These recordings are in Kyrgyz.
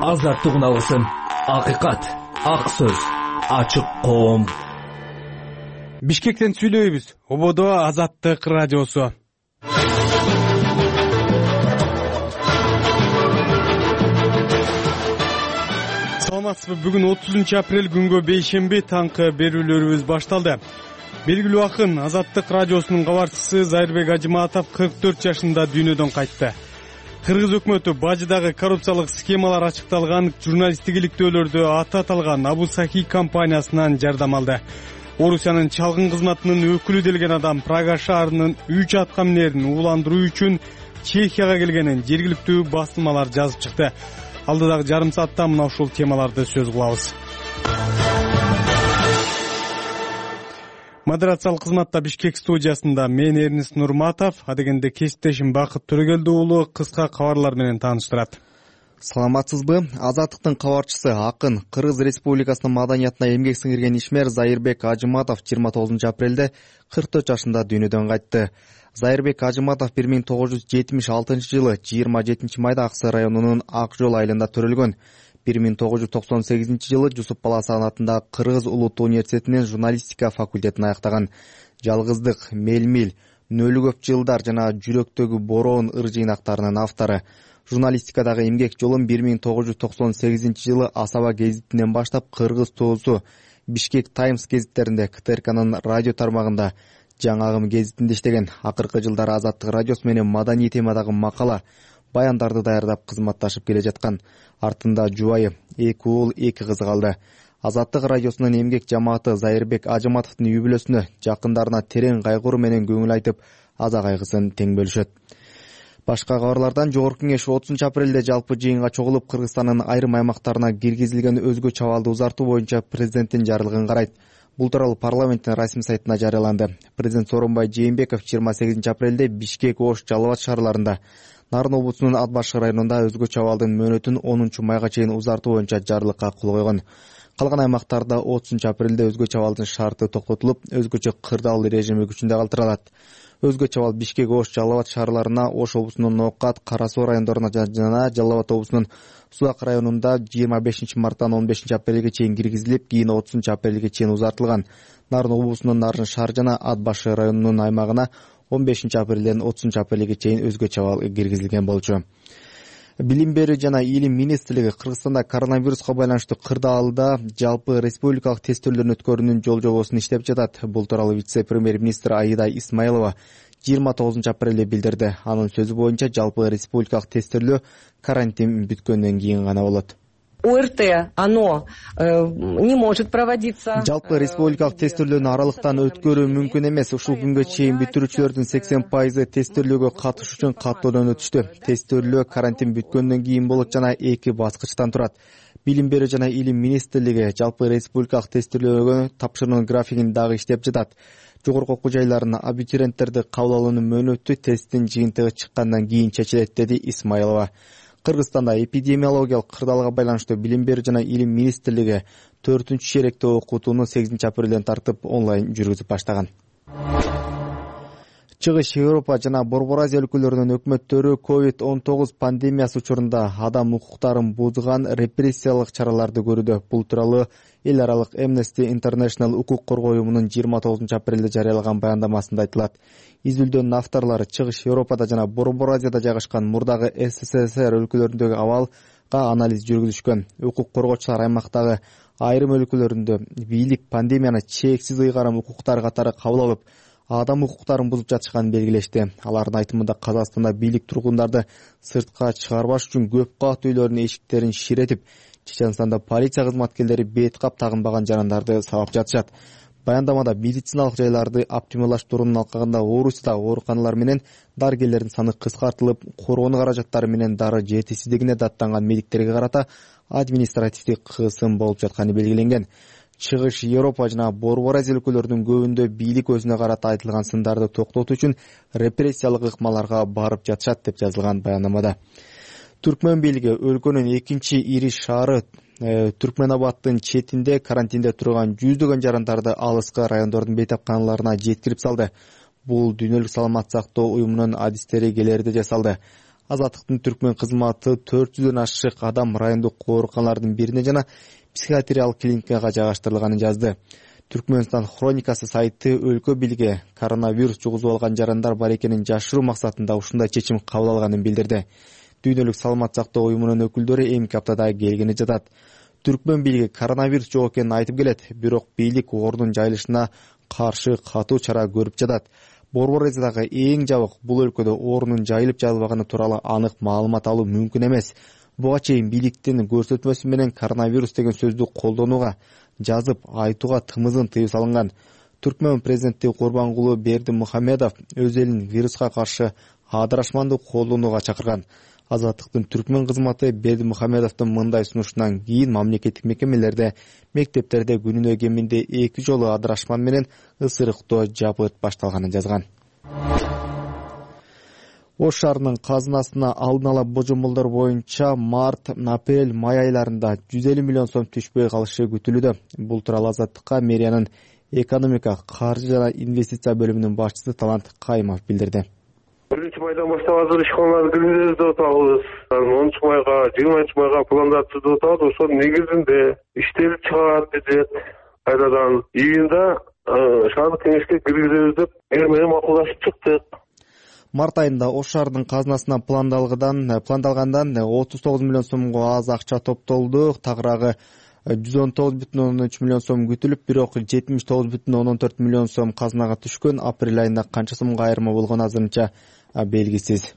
азаттык үналысын. Акыйкат, ак сөз, ачык коом. Бишкектен сүйлөйбүз. Ободо Азаттык радиосу. Саламатсызбы? Бүгүн 30 апрель күнгө бейшемби таңкы берүүлөрүбүз башталды. Белгилүү акын Азаттык радиосунун кабарчысы Зайырбек Ажыматов 44 жашында дүйнөдөн кайтты. Кыргыз өкмөтү бажыдагы коррупциялык схемалар ачыкталган журналисттик иликтөөлөрдө аты аталган Абусахи компаниясынан жардам алды. Орусиянын чалгын кызматынын өкүлү делген адам Прага шаарынын 3 аткаминерин ууландыруу үчүн Чехияга келгенин жергиликтүү басылмалар жазып чыкты. Алдыдагы жарым саатта мына ушул темаларды сөз кылабыз. Модерациялык кызматта Бишкек студиясында мен Эрнис Нурматов, адегенде кесиптешим Бакыт Төрөгелди уулу кыска кабарлар менен тааныштырат. Саламатсызбы? Азаттыктын кабарчысы акын Кыргыз Республикасынын маданиятына эмгек сиңирген ишмер Зайырбек Ажыматов 29 апрелде 44 жашында дүйнөдөн кайтты. Зайырбек Ажыматов 1976 жылы 27 майда Аксы районунун Ак жол айылында төрөлгөн. 1998 жылы Жусуп Баласан атындагы Кыргыз Улуттуу университетинин журналистика факультетин аяктаган. Жалгыздык, Мелмил, Нөлү көп жылдар жана Жүрөктөгү бороон ыр жыйнактарынын автору. Журналистикадагы эмгек жолун 1998 жылы Асаба гезитинен баштап Кыргыз Тоосу, Бишкек Таймс гезиттеринде, КТРКнын радио тармагында, Жаңы агым гезитинде иштеген. Акыркы жылдары Азаттык радиосу менен маданий темадагы макала, баяндарды даярдап кызматташып келе жаткан. Артында жубайы 2 уул 2 кызы калды. Азаттык радиосунун эмгек жамааты Зайырбек Ажыматовдун үй бүлөсүнө, жакындарына терең кайгыруу менен көңүл айтып, аза кайгысын тең бөлүшөт. Башка кабарлардан Жогорку кеңеш 30 апрелде жалпы жыйынга чогулуп Кыргызстандын айрым аймактарына киргизилген өзгө чабалды узартуу боюнча президенттин жарлыгын карайт. Бул тууралуу парламенттин расмий сайтында жарыяланды. Президент Сооронбай Жээнбеков 28 апрелде Бишкек, Ош, Жалал Абад шаарларында, Нарын облусунун Ат Баш районунда өзгө чабалдын мөөнөтүн 10 майга чейин узартуу боюнча жарлыкка кол койгон. Калган аймактарда 30 апрелде өзгө чабалдын шарты токтотулуп, өзгөчө кырдаал режими күчүндө калтырылат. Өзгө чабал Бишкек, Ош, Жалал Абад шаарларына, Ош облусунун Ноокат, Кара Суу райондоруна жана Жалал Абад облусунун Сулак районунда 25 марттан 15 апрелге чейин киргизилип, кийин 30 апрелге чейин узартылган. Нарын облусунун Нарын шаар жана Ат Баш районунун аймагына 15 апрелден 30 апрелге чейин өзгө чабал киргизилген болчу. Билим берүү жана илим министрлиги Кыргызстанда коронавируска байланыштуу кырдаалда жалпы республикалык тестөөлөрдүн өткөрүүнүн жол жобосун иштеп жатат. Бул тууралуу вице-премьер-министр Аида Исмаилова 29 апрелде билдирди. Анын сөзү боюнча жалпы республикалык тестөөлөө карантин бүткөндөн кийин гана болот. ОРТ, оно не может проводиться. Жалпы республикалык тестөөлөөнү аралыктан өткөрүү мүмкүн эмес. Ушул күнгө чейин бүтүрүүчүлөрдүн 80% тестөөлөөгө катышуу үчүн каттоодон өтүштү. Тестөөлөө карантин бүткөндөн кийин болот жана 2 баскычтан турат. Билим берүү жана илим министрлиги жалпы республикалык тестөөлөөгө тапшыруунун графигин дагы иштеп жатат. Жогорку окуу жайларына абитуриенттерди кабыл алуунун мөөнөтү тесттин жыйынтыгы чыккандан кийин чечилет, деди Исмаилова. Кыргызстанда эпидемиологиялык кырдаалга байланыштуу билим берүү жана илим министрлиги 4-шеректе окутууну 8 апрелден тартып онлайн жүргүзүп баштаган. Чыгыш Европа жана Борбор Азия өлкөлөрүнүн өкмөттөрү COVID-19 пандемиясы учурунда адам укуктарын бузган репрессиялык чараларды көрүүдө. Бул тууралуу эл аралык Amnesty International укук коргоо уюмунун 29 апрелде жарыялаган баяндамасында айтылат. Изилдөөнүн авторлору Чыгыш Европада жана Борбор Азияда жайгашкан мурдагы СССР өлкөлөрүндөгү абалга анализ жүргүзүшкөн. Укук коргоочулар аймактагы айрым өлкөлөрүндө бийлик пандемияны чексиз ыйгарым укуктар катары кабыл алып, адам укуктарын бузуп жатышканын белгилешти. Алардын айтымында Казакстанда бийлик тургундарды сыртка чыгарбаш үчүн көп кат үйлөрүнүн эшиктерин ширетип, Чеченстанда полиция кызматкерлери бет кап тагынбаган жарандарды сабап жатышат. Баяндамада медициналык жайларды оптималдаштыруунун алкагында Орусияда ооруканалар менен дарыгерлердин саны кыскартылып, коргонуу каражаттары менен дары жетишсиздигине даттанган медиктерге карата административдик кысым болуп жатканы белгиленген. Чыгыш Европа жана Борбор Азия өлкөлөрүнүн көбүндө бийлик өзүнө карата айтылган сындарды токтотуу үчүн репрессиялык ыкмаларга барып жатышат деп жазылган баяндамада. Түркмөн бийлиги өлкөнүн экинчи ири шаары Түркменабадтын четинде карантинде турган жүздөгөн жарандарды алыскы райондордун бейтапканаларына жеткирип салды. Бул дүйнөлүк саламат сактоо уюмунун адистери келерде жасалды. Азаттыктын түркмөн кызматы 400дөн ашык адам райондук ооруканалардын бирине жана психиатриялык клиникага жайгаштырылганын жазды. Түркмөнстан хроникасы сайты өлкө бийлиги коронавирус жугузуп алган жарандар бар экенин жашыруу максатында ушундай чечим кабыл алганын билдирди. Дүйнөлүк саламат сактоо уюмунун өкүлдөрү эмки аптада келгени жатат. Түркмөн бийлиги коронавирус жок экенин айтып келет, бирок бийлик оорунун жайылышына каршы катуу чара көрүп жатат. Борбор Азиядагы эң жабык бул өлкөдө оорунун жайылып жайылбаганы тууралуу анык маалымат алуу мүмкүн эмес. Буга чейин бийликтин көрсөтмөсү менен коронавирус деген сөздү колдонууга, жазып айтууга тымызын тыюу салынган. Түркмөн президенти Курбангулы Бердимухамедов өз элин вируска каршы адырашманды колдонууга чакырган. Азаттыктын түркмөн кызматы Бердимухамедовдун мындай сунушунан кийин мамлекеттик мекемелерде, мектептерде күнүнө кеминде 2 жолу адырашман менен ысырыктоо жабыт башталганын жазган. Ош шаарынын казынасына алдын ала божомолдор боюнча март, апрель, май айларында 150 миллион сом түшпөй калышы күтүлүүдө. Бул тууралуу Азаттыкка мэриянын экономика, каржы жана инвестиция бөлүмүнүн башчысы Талант Кайымов билдирди. 1-майдан баштап азыр ишканаларды киргизебиз деп атабыз. 10-майга, 20-майга пландар түзүп атабыз. Ошонун негизинде иштелип чыгат бюджет. Кайрадан июнда шаардык кеңешке киргизебиз деп эр менен макулдашып чыктык. Март айында Ош шаарынын казынасына пландалгандан 39 миллион сомго аз акча топтолду. Тагыраагы 119,3 миллион сом күтүлүп, бирок 79,4 миллион сом казынага түшкөн. Апрель айында канча сомго айырма болгону азырынча белгисиз.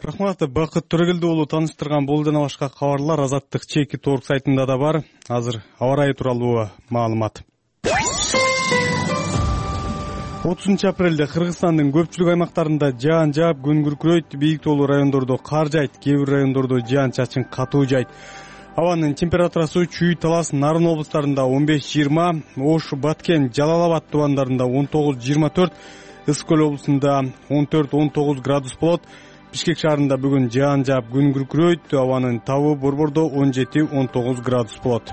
Рахмат, Бакыт Төрөгелди уулу таныштырган бул жана башка кабарлар Азаттык чеки торг сайтында да бар. Азыр аба ырайы тууралуу маалымат. 30 апрелде Кыргызстандын көпчүлүк аймактарында жаан жаап, күн күркүрөйт, бийик тоолуу райондордо кар жайт, кээ бир райондордо жаан-чачын катуу жайт. Абанын температурасы Чүй, Талас, Нарын облустарында 15-20, Ош, Баткен, Жалал Абад тубандарында 19-24, Ысык көл облусунда 14-19 градус болот. Бишкек шаарында бүгүн жаан жаап, күн күркүрөйт, абанын табы Борбордо 17-19 градус болот.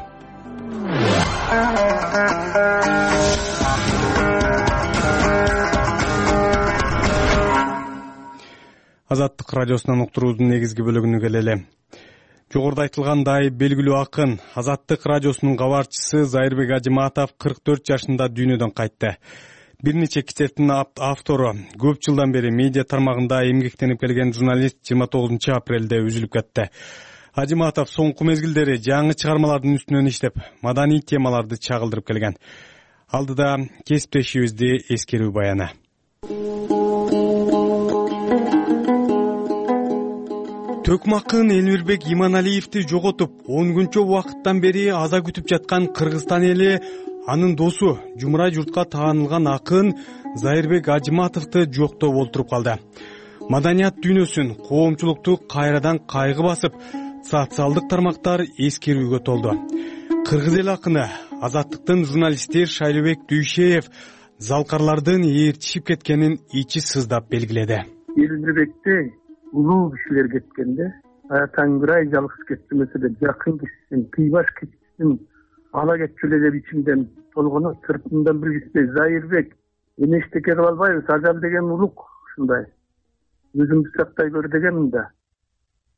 Азаттык радиосунан уктуруудун негизги бөлүгүнө келели. Жогоруда айтылгандай, белгилүү акын, Азаттык радиосунун кабарчысы Зайырбек Ажыматов 44 жашында дүйнөдөн кайтты. Бир нече китептин автору, көп жылдан бери медиа тармагында эмгектенип келген журналист 29 апрелде үзүлүп кетти. Ажыматов соңку мезгилдери жаңы чыгармалардын үстүнөн иштеп, маданий темаларды чагылдырып келген. Алдыда кесиптешибизди эскерүү баяны. Төкмакын Элмирбек Иманалиевди жоготуп, 10 күнчө убакыттан бери аза күтүп жаткан Кыргызстан эли анын досу, жумурай журтка таанылган акын Зайырбек Ажыматовду жоктоп олтуруп калды. Маданият дүйнөсүн, коомчулукту кайрадан кайгы басып, социалдык тармактар эскерүүгө толду. Кыргыз эл акыны, Азаттыктын журналисти Шайлыбек Дүйшеев залкарлардын ээрчишип кеткенин ичи сыздап белгиледи. Элмирбекте улуу кишилер кеткенде, Таңгырай жалгыз кетмесе де жакын кишисин, кыйбаш кишисин ала кетчүлө деп ичимден толгону сыртымдан билгиспей Зайырбек эми эчтеке кыла албайбыз, ажал деген улук ушундай. Өзүңдү сактай көр дегенмин да.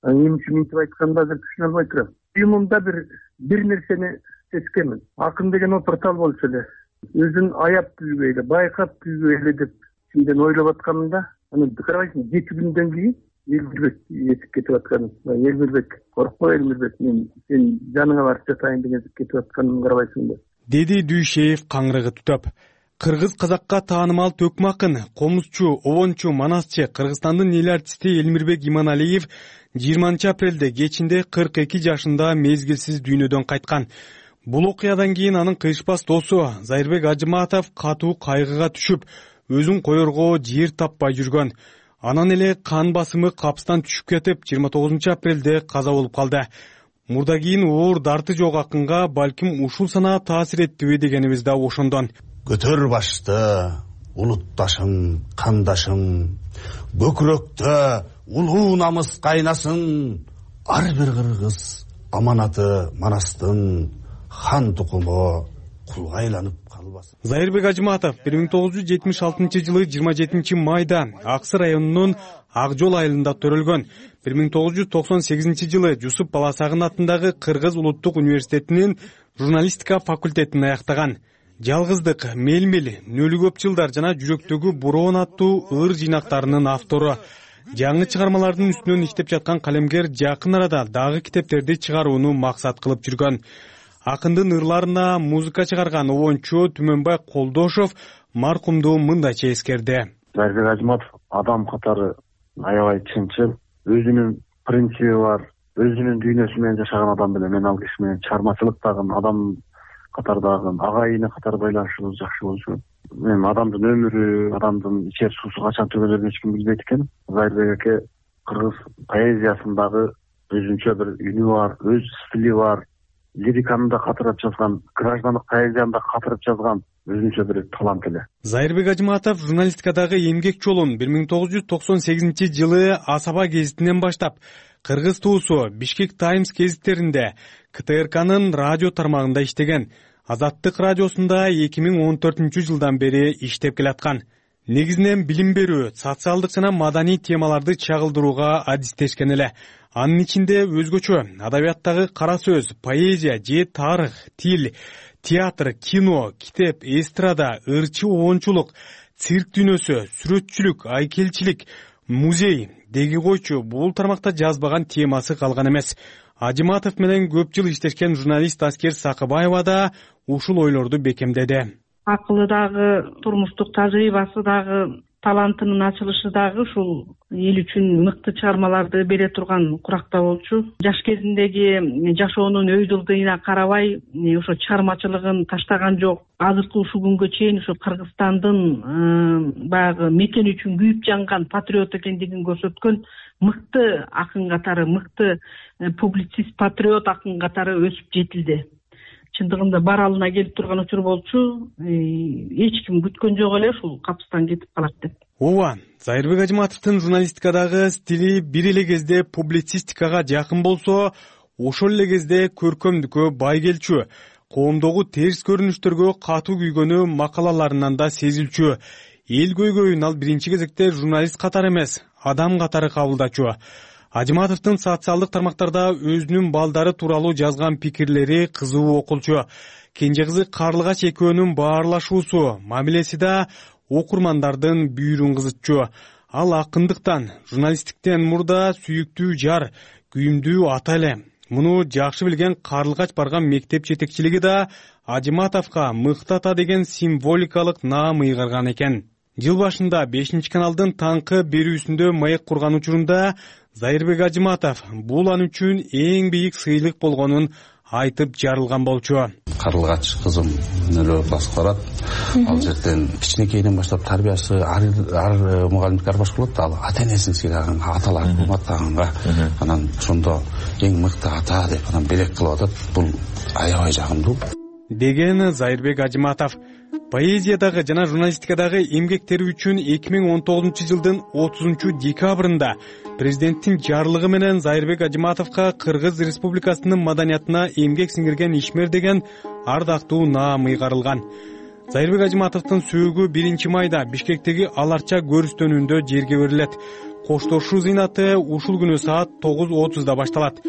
Эмне үчүн мынтип айтканымды азыр түшүнө албай турам. Уюмумда бир нерсени сезгенмин. Акын деген опуртал болчу эле. Өзүн аяп күйгөй эле, байкап күйгөй эле деп ичимден ойлоп атканымда, анан карабайсың 7 күндөн кийин Элмирбек этип кетип аткан. Элмирбек, коркпо Элмирбек, мен сен жаныңа барып жатайын деген кетип атканын карабайсың да. Деди Дүйшеев каңрыгы түтөп. Кыргыз казакка таанымал төкмакын, комузчу, обончу, манасчы Кыргызстандын эл артисти Элмирбек Иманалиев 20 апрелде кечинде 42 жашында мезгилсиз дүйнөдөн кайткан. Бул окуядан кийин анын кыйышпас досу Зайырбек Ажыматов катуу кайгыга түшүп, өзүн коерго жер таппай жүргөн. Анан эле кан басымы капстан түшүп кетип, 29 апрелде каза болуп калды. Мурда кийин оор дарты жок акынга балким ушул санаа таасир эттиби дегенибиз да ошондон. Көтөр башты, улутташым, кандашым, көкүрөктө улуу намыс кайнасын, ар бир кыргыз аманаты манастын, хан тукуму кулга айланып калбасын. Зайырбек Ажыматов 1976 жылы 27 майда Аксы районунун Ак Жол айылында төрөлгөн. 1998-жылы Жусуп Баласагын атындагы Кыргыз улуттук университетинин журналистика факультетин аяктаган. Жалгыздык, Мелмел, Нөлүү көп жылдар жана Жүрөктөгү бороон аттуу ыр жыйнактарынын автору. Жаңы чыгармалардын үстүнөн иштеп жаткан калемгер жакын арада дагы китептерди чыгарууну максат кылып жүргөн. Акындын ырларына музыка чыгарган обончу Түмөнбай Колдошов маркумду мындайча эскерди. Зайырбек Ажыматов адам катары аябай чынчыл, өзүнүн принциби бар, өзүнүн дүйнөсү менен жашаган адам беле. Мен ал киши менен чыгармачылыктагы адам катардагы агайыны катары байланышыбыз жакшы болчу. Мен адамдын өмүрү, адамдын ичер суусу качан түгөлөрүн эч ким билбейт экен. Зайырбек аке кыргыз поэзиясындагы өзүнчө бир үнү бар, өз стили бар, лириканы да катырып жазган, граждандык поэзияны да катырып жазган өзүнчө бир талант эле. Зайырбек Ажыматов журналистикадагы эмгек жолун 1998-жылы Асаба гезитинен баштап, Кыргыз туусу, Бишкек Таймс гезиттеринде, КТРКнын радио тармагында иштеген. Азаттык радиосунда 2014-жылдан бери иштеп келаткан. Негизинен билим берүү, социалдык жана маданий темаларды чагылдырууга адистешкен эле. Анын ичинде өзгөчө адабияттагы кара сөз, поэзия же тарых, тил, театр, кино, китеп, эстрада, ырчы обончулук, цирк дүйнөсү, сүрөтчүлүк, айкелчилик, музей деги койчу бул тармакта жазбаган темасы калган эмес. Ажыматов менен көп жыл иштешкен журналист Аскер Сакыбаева да ушул ойлорду бекемдеди. Акылы дагы, турмуштук тажрыйбасы дагы, талантынын ачылышы дагы ушул эл үчүн мыкты чыгармаларды бере турган куракта болчу. Жаш кезиндеги жашоонун өй жылдыйына карабай, ошо чыгармачылыгын таштаган жок. Азыркы ушул күнгө чейин ошо Кыргызстандын баягы мекен үчүн күйүп жанган патриот экендигин көрсөткөн мыкты акын катары, мыкты публицист, патриот акын катары өсүп жетилди. Чындыгында баралына келип турган учур болчу. Эч ким күткөн жок эле ушул капыстан кетип калат деп. Ооба, Зайырбек Ажыматовдун журналистикадагы стили бир эле кезде публицистикага жакын болсо, ошол эле кезде көркөмдүккө бай келчү. Коомдогу терс көрүнүштөргө катуу күйгөнү макалаларынан да сезилчү. Эл көйгөйүн ал биринчи кезекте журналист катары эмес, адам катары кабылдачу. Ажыматовдун социалдык тармактарда өзүнүн балдары тууралуу жазган пикирлери кызуу окулчу. Кенже кызы Карлыгач экөөнүн баарлашуусу, мамилеси да окурмандардын бүйүрүн кызытчу. Ал акындыктан, журналисттиктен мурда сүйүктүү жар, күйүмдүү ата эле. Муну жакшы билген Карлыгач барган мектеп жетекчилиги да Ажыматовго мыкты ата деген символикалык наам ыйгарган экен. Жыл башында 5-каналдын таңкы берүүсүндө маек курган учурунда Зайырбек Ажыматов бул ан үчүн эң бийик сыйлык болгонун айтып жарылган болчу. Карлыгач кызым нөлөө класска барат. Ал жерден кичинекейден баштап тарбиясы ар мугалимдик ар башка болот. Ал ата-энесин сыйлаган, аталарын урматтаганга, анан ошондо эң мыкты ата деп анан белек кылып атат. Бул аябай жагымдуу деген Зайырбек Ажыматов. Поэзиядагы жана журналистикадагы эмгектери үчүн 2019-жылдын 30-декабрында президенттин жарлыгы менен Зайырбек Ажыматовго Кыргыз Республикасынын маданиятына эмгек сиңирген ишмер деген ардактуу наам ыйгарылган. Зайырбек Ажыматовдун сөөгү 1-майда Бишкектеги Аларча көрүстөнүндө жерге берилет. Коштошуу зыйнаты ушул күнү саат 9:30 башталат.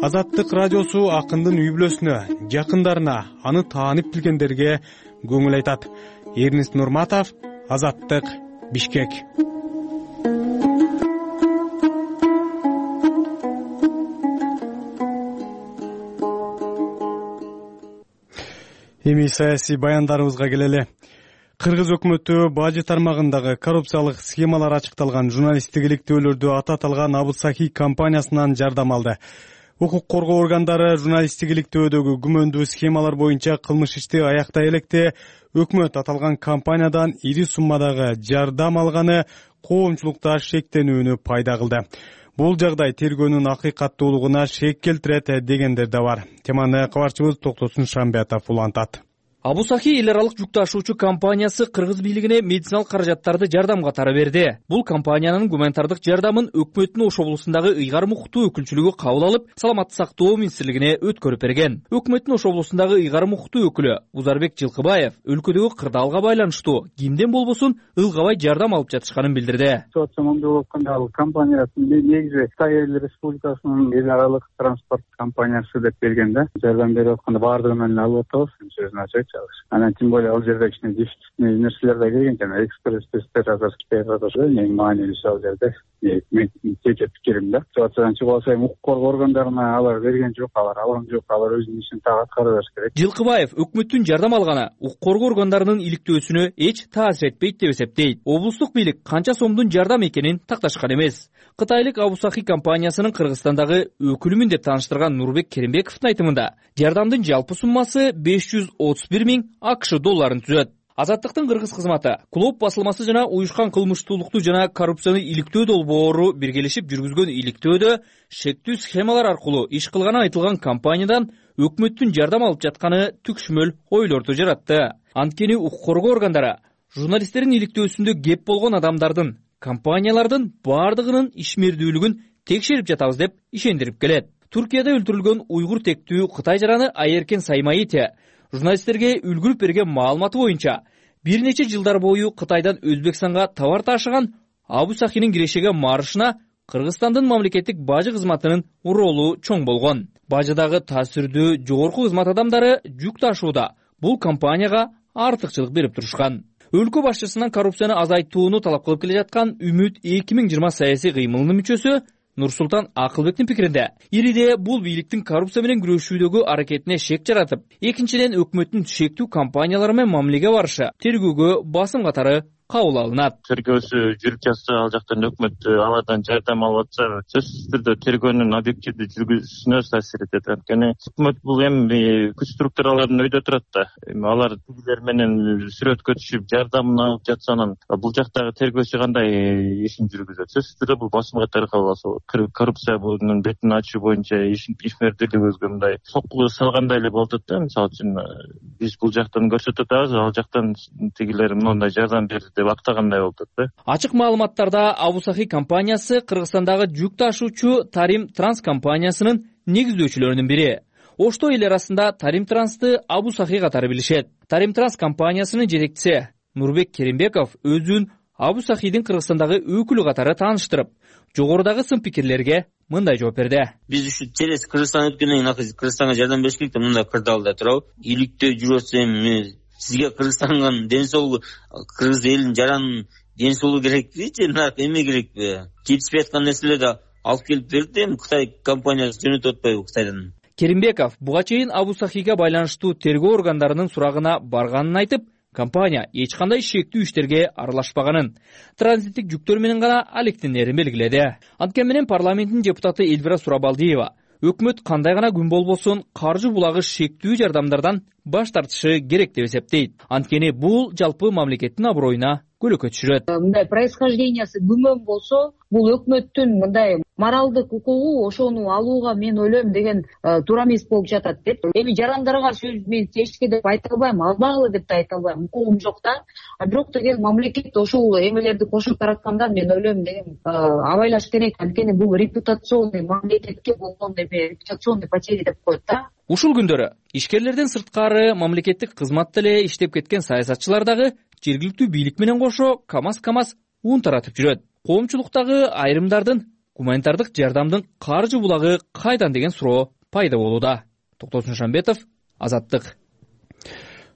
Азаттык радиосу акындын үй бүлөсүнө, жакындарына, аны таанып билгендерге көңүл айтат. Эрнест Нурматов, Азаттык, Бишкек. Эми саясий баяндарыбызга келели. Кыргыз өкмөтү бажы тармагындагы коррупциялык схемалар ачыкталган журналисттик иликтөөлөрдү ата аталган Абусахи компаниясынан жардам алды. Укук коргоо органдары журналисттик иликтөөдөгү күмөндүү схемалар боюнча кылмыш ишти аяктай электе өкмөт аталган компаниядан ири суммадагы жардам алганы коомчулукта шектенүүнү пайда кылды. Бул жагдай тергөөнүн акыйкаттуулугуна шек келтирет дегендер да бар. Теманы кабарчыбыз Токтосун Шамбиатов улантат. Абу Сахи эл аралык жүк ташуучу компаниясы кыргыз бийлигине медициналык каражаттарды жардам катары берди. Бул компаниянын гуманитардык жардамын өкмөттүн Ош облусундагы Ыйгар Мухту өкүлчүлүгү кабыл алып, Саламаттык сактоо министрлигине өткөрүп берген. Өкмөттүн Ош облусундагы Ыйгар Мухту өкүлү Узарбек Жылкыбаев өлкөдөгү кырдаалга байланыштуу кимден болбосун ылгабай жардам алып жатышканын билдирди. Ситуация болуп атканда ал компаниясын негизи Кытай Эл Республикасынын эл аралык транспорт компаниясы деп берген да. Жардам берип атканда баардыгынан алып атабыз, сөзүн ачайчы. Анан тем более ал жерде кичине дефицитный нерселер да келген, жана экспресс тесттер азыр Кытайга да эң маанилүүсү ал жерде. Мен жеке пикирим да. Ситуациядан чыгып алсам, укук коргоо органдарына алар берген жок, алар алган жок, алар өзүнүн ишин так аткара бериш керек. Жылкыбаев өкмөттүн жардам алганы укук коргоо органдарынын иликтөөсүнө эч таасир этпейт деп эсептейт. Облустук бийлик канча сомдун жардам экенин такташкан эмес. Кытайлык Абу Сахи компаниясынын Кыргызстандагы өкүлүмүн деп тааныштырган Нурбек Керимбековдун айтымында, жардамдын жалпы суммасы 531 миң АКШ долларын түзөт. Азаттыктын кыргыз кызматы, Клоп басылмасы жана уюшкан кылмыштуулукту жана коррупцияны иликтөө долбоору биргелешип жүргүзгөн иликтөөдө шектүү схемалар аркылуу иш кылганы айтылган компаниядан өкмөттүн жардам алып жатканы түкшмөл ойлорду жаратты. Анткени укук коргоо органдары журналисттердин иликтөөсүндө кеп болгон адамдардын, компаниялардын баардыгынын ишмердүүлүгүн текшерип жатабыз деп ишендирип келет. Туркияда өлтүрүлгөн уйгур тектүү Кытай жараны Айеркен Саймаити журналисттерге үлгүрүп берген маалыматы боюнча бир нече жылдар бою Кытайдан Өзбекстанга товар ташыган Абу Сахинин кирешеген маршына Кыргызстандын мамлекеттик бажы кызматынын ролу чоң болгон. Бажыдагы таасирдүү жогорку кызмат адамдары жүк ташууда бул компанияга артыкчылык берип турушкан. Өлкө башчысынан коррупцияны азайтууну талап кылып келе жаткан Үмүт 2020 саясий кыймылынын мүчөсү Нурсултан Акылбектин пикиринде, ириде бул бийликтин коррупция менен күрөшүүдөгү аракетине шек жаратып, экинчиден өкмөттүн шектүү компаниялары менен мамилеге барышы тергөөгө басым катары кабыл алынат. Тергөөсү жүрүп жатса, ал жактан өкмөт алардан жардам алып атса, сөзсүз түрдө тергөөнүн объективдүү жүргүзүүсүнө таасир этет. Анткени өкмөт бул эми күч структураларынын өйдө турат да. Алар тигилер менен сүрөткө түшүп жардамын алып жатса, анан бул жактагы тергөөчү кандай ишин жүргүзөт? Сөзсүз түрдө бул басым катары кабыл алса, коррупция bunun бетин ачуу боюнча ишмердүүлүгүбүзгө мындай сокку салгандай эле болот да. Мисалы үчүн биз бул жактан көрсөтүп атабыз, ал жактан тигилер мындай жардам берди деп актагандай болот да. Ачык маалыматтарда Абу Сахи компаниясы Кыргызстандагы жүк ташуучу Тарим Транс компаниясынын негиздөөчүлөрүнүн бири. Ошто эл арасында Тарим Трансты Абу Сахи катары билишет. Тарим Транс компаниясынын жетекчиси Нурбек Керимбеков өзүн Абу Сахидин Кыргызстандагы өкүлү катары тааныштырып, жогорудагы сын пикирлерге мындай жооп берди. Биз ушу через Кыргызстан өткөндөн кийин Кыргызстанга жардам бериш керек деп мындай кырдаалда турабы. Иликтөө жүрүп атсам, сизге Кыргызстанга ден соолугу, кыргыз элинин жаранын ден соолугу керекпи же эме керекпи? Жетишпей аткан нерселерди алып келип берди, Кытай компаниясы жөнөтүп атпайбы Кытайдан? Керимбеков буга чейин Абу Сахига байланыштуу тергөө органдарынын сурагына барганын айтып, компания эч кандай шектүү иштерге аралашпаганын, транзиттик жүктөр менен гана алектенерин белгиледи. Анткени менен парламенттин депутаты Эльвира Сурабалдиева өкмөт кандай гана күн болбосун каржы булагы шектүү жардамдардан баш тартышы керек деп эсептейт. Анткени бул жалпы мамлекеттин аброюна көлөкө түшүрөт. Мындай происхождениясы күмөн болсо, бул өкмөттүн мындай моралдык укугу ошону алууга мен ойлойм деген туура эмес болуп жатат деп. Эми жарандарга сөз мен тешке деп айта албайм, албагыла деп да айта албайм, укугум жок да. Бирок деген мамлекет ошол эмелерди кошуп таратканда мен ойлойм деген абайлаш керек. Анткени бул репутационный мамлекетке болгон репутационный потери деп коет да. Ушул күндөрү ишкерлерден сырткары мамлекеттик кызматта эле иштеп кеткен саясатчылар дагы жергиликтүү бийлик менен кошо камаз ун таратып жүрөт. Коомчулуктагы айрымдардын гуманитардык жардамдын каржы булагы кайдан деген суроо пайда болууда. Токтосун Шамбетов, Азаттык.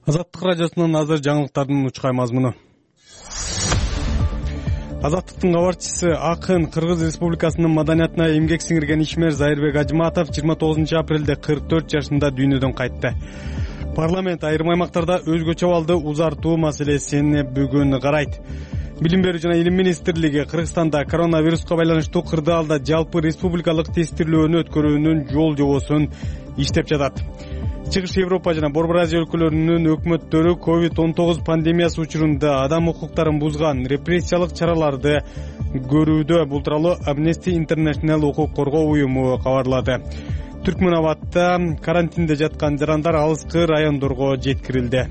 Азаттык радиосунун азыр жаңылыктардын учкай мазмуну. Азаттыктын кабарчысы акын Кыргыз Республикасынын маданиятына эмгек сиңирген ишмер Зайырбек Ажыматов 29 апрелде 44 жашында дүйнөдөн кайтты. Парламент айрым аймактарда өзгөчө абалды узартуу маселесин бүгүн карайт. Билим берүү жана илим министрлиги Кыргызстанда коронавируска байланыштуу кырдаалда жалпы республикалык тестирлөөнү өткөрүүнүн жол жобосун иштеп жатат. Чыгыш Европа жана Борбор Азия өлкөлөрүнүн өкмөттөрү COVID-19 пандемиясы учурунда адам укуктарын бузган репрессиялык чараларды көрүүдө. Бул тууралуу Amnesty International укук коргоо уюму кабарлады. Түркмөнабадта карантинде жаткан жарандар алыскы райондорго жеткирилди.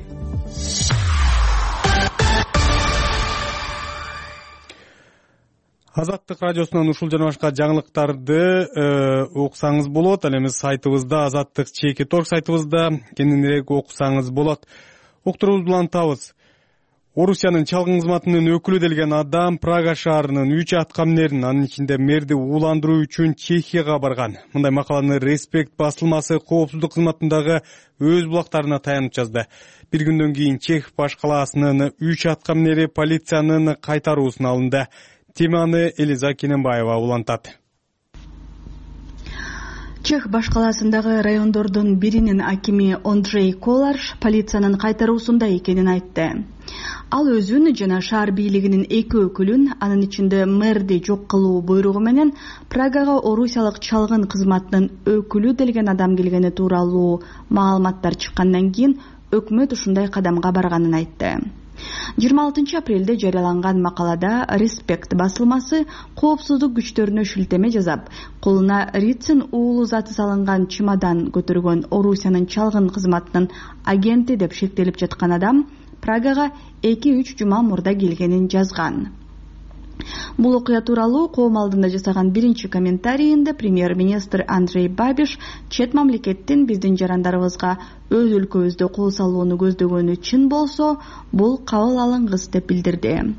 Азаттык радиосунан ушул жана башка жаңылыктарды уксаңыз болот. Ал эми сайтыбызда, Азаттык /торг сайтыбызда кененирээк окусаңыз болот. Уктуруубузду улантабыз. Орусиянын чалгын кызматынын өкүлү делген адам Прага шаарынын 3 аткаминерин, анын ичинде мэрди ууландыруу үчүн Чехияга барган. Мындай макаланы Респект басылмасы коопсуздук кызматындагы өз булактарына таянып жазды. Бир күндөн кийин Чех баш калаасынын 3 аткаминери полициянын кайтаруусуна алынды. Теманы Элиза Кененбаева улантат. Чех баш калаасындагы райондордун биринин акими Андрей Коларш полициянын кайтаруусунда экенин айтты. Ал өзүн жана шаар бийлигинин 2 өкүлүн, анын ичинде мэрди жок кылуу буйругу менен Прагага орусиялык чалгын кызматынын өкүлү делген адам келгени тууралуу маалыматтар чыккандан кийин өкмөт ушундай кадамга барганын айтты. 26 апрелде жарыяланган макалада Респект басылмасы коопсуздук күчтөрүнө шилтеме жасап, колуна Рицин уулу заты салынган чемодан көтөргөн Орусиянын чалгын кызматынын агенти деп шектелип жаткан адам Прагага 2-3 жума мурда келгенин жазган. Бул окуя тууралуу коом алдында жасаган биринчи комментарийинде премьер-министр Андрей Бабиш чет мамлекеттин биздин жарандарыбызга өз өлкөбүздө кол салууну көздөгөнү чын болсо, бул кабыл алынгыс деп билдирди.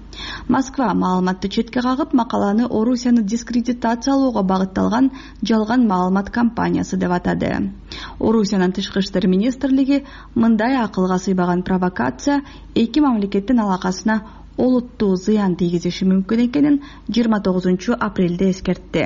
Москва маалыматты четке кагып, макаланы Орусияны дискредитациялоого багытталган жалган маалымат кампаниясы деп атады. Орусиянын тышкы иштер министрлиги мындай акылга сыйбаган провокация эки мамлекеттин алакасына олуттуу зыян тийгизиши мүмкүн экенин 29 апрелде эскертти.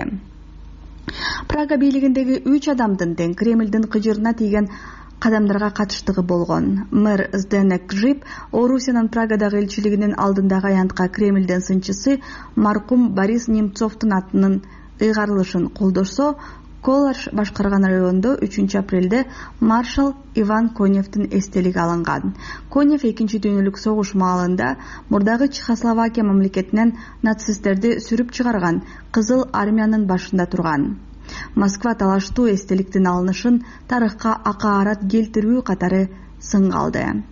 Прага бийлигиндеги 3 адамдын тең Кремлдин кыжырына тийген кадамдарга катыштыгы болгон. Мэр Зденек Гжип Орусиянын Прагадагы элчилигинин алдындагы аянтка Кремлдин сынчысы маркум Борис Немцовдун атынын ыйгарылышын колдошсо, Коларш башкарган райондо 3 апрелде маршал Иван Коневдин эстелиги алынган. Конев 2 дүйнөлүк согуш маалында мурдагы Чехословакия мамлекетинен нацисттерди сүрүп чыгарган Кызыл армиянын башында турган. Москва талаштуу эстеликтин алынышын тарыхка акаарат келтирүү катары сынга алды.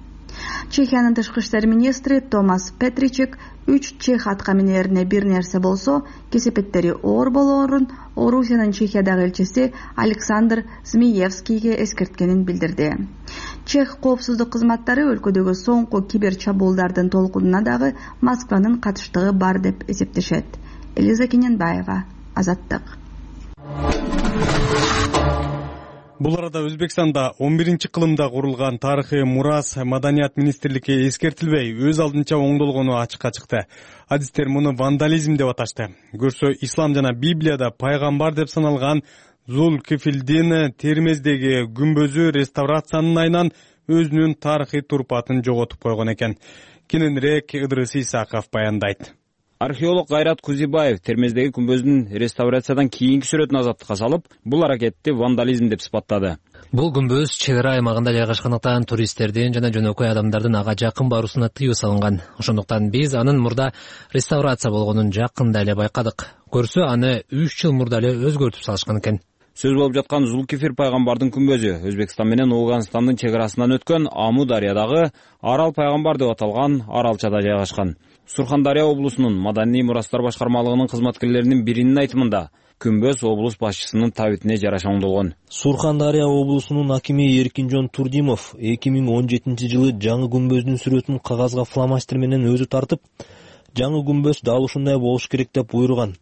Чехиянын тышкы иштер министри Томас Петричек 3 чех аткаминерине бир нерсе болсо, кесепеттери оор болоорун Орусиянын Чехиядагы элчиси Александр Змеевскийге эскерткенин билдирди. Чех коопсуздук кызматтары өлкөдөгү соңку кибер чабуулдардын толкунуна дагы Москванын катыштыгы бар деп эсептешет. Элиза Кененбаева, Азаттык. Бул арада Өзбекстанда 11-кылымда курулган тарыхый мурас маданият министрликке эскертилбей өз алдынча оңдолгону ачыкка чыкты. Адистер муну вандализм деп аташты. Көрсө, ислам жана Библияда пайгамбар деп саналган Зулкифилдин Термездеги күмбөзү реставрациянын айынан өзүнүн тарыхый турпатын жоготуп койгон экен. Кененирээк Ыдырыс Исаков баяндайт. Археолог Кайрат Кузибаев Термездеги күмбөздүн реставрациядан кийинки сүрөтүн азаттыкка салып, бул аракетти вандализм деп сыпаттады. Бул күмбөз чек ара аймагында жайгашкандыктан туристтердин жана жөнөкөй адамдардын ага жакын баруусуна тыюу салынган. Ошондуктан биз анын мурда реставрация болгонун жакында эле байкадык. Көрсө, аны 3 жыл мурда эле өзгөртүп салышкан экен. Сөз болуп жаткан Зулкифир пайгамбардын күмбөзү Өзбекстан менен Ооганстандын чек арасынан өткөн Аму дарыядагы Арал пайгамбар деп аталган аралчада жайгашкан. Сурхандария облусунун маданий мурастар башкармалыгынын кызматкерлеринин биринин айтымында, күмбөз облус башчысынын табитине жараша оңдолгон. Сурхандария облусунун акими Эркинжон Турдимов 2017 жылы жаңы күмбөздүн сүрөтүн кагазга фломастер менен өзү тартып, жаңы күмбөз дал ушундай болуш керек деп буйруган.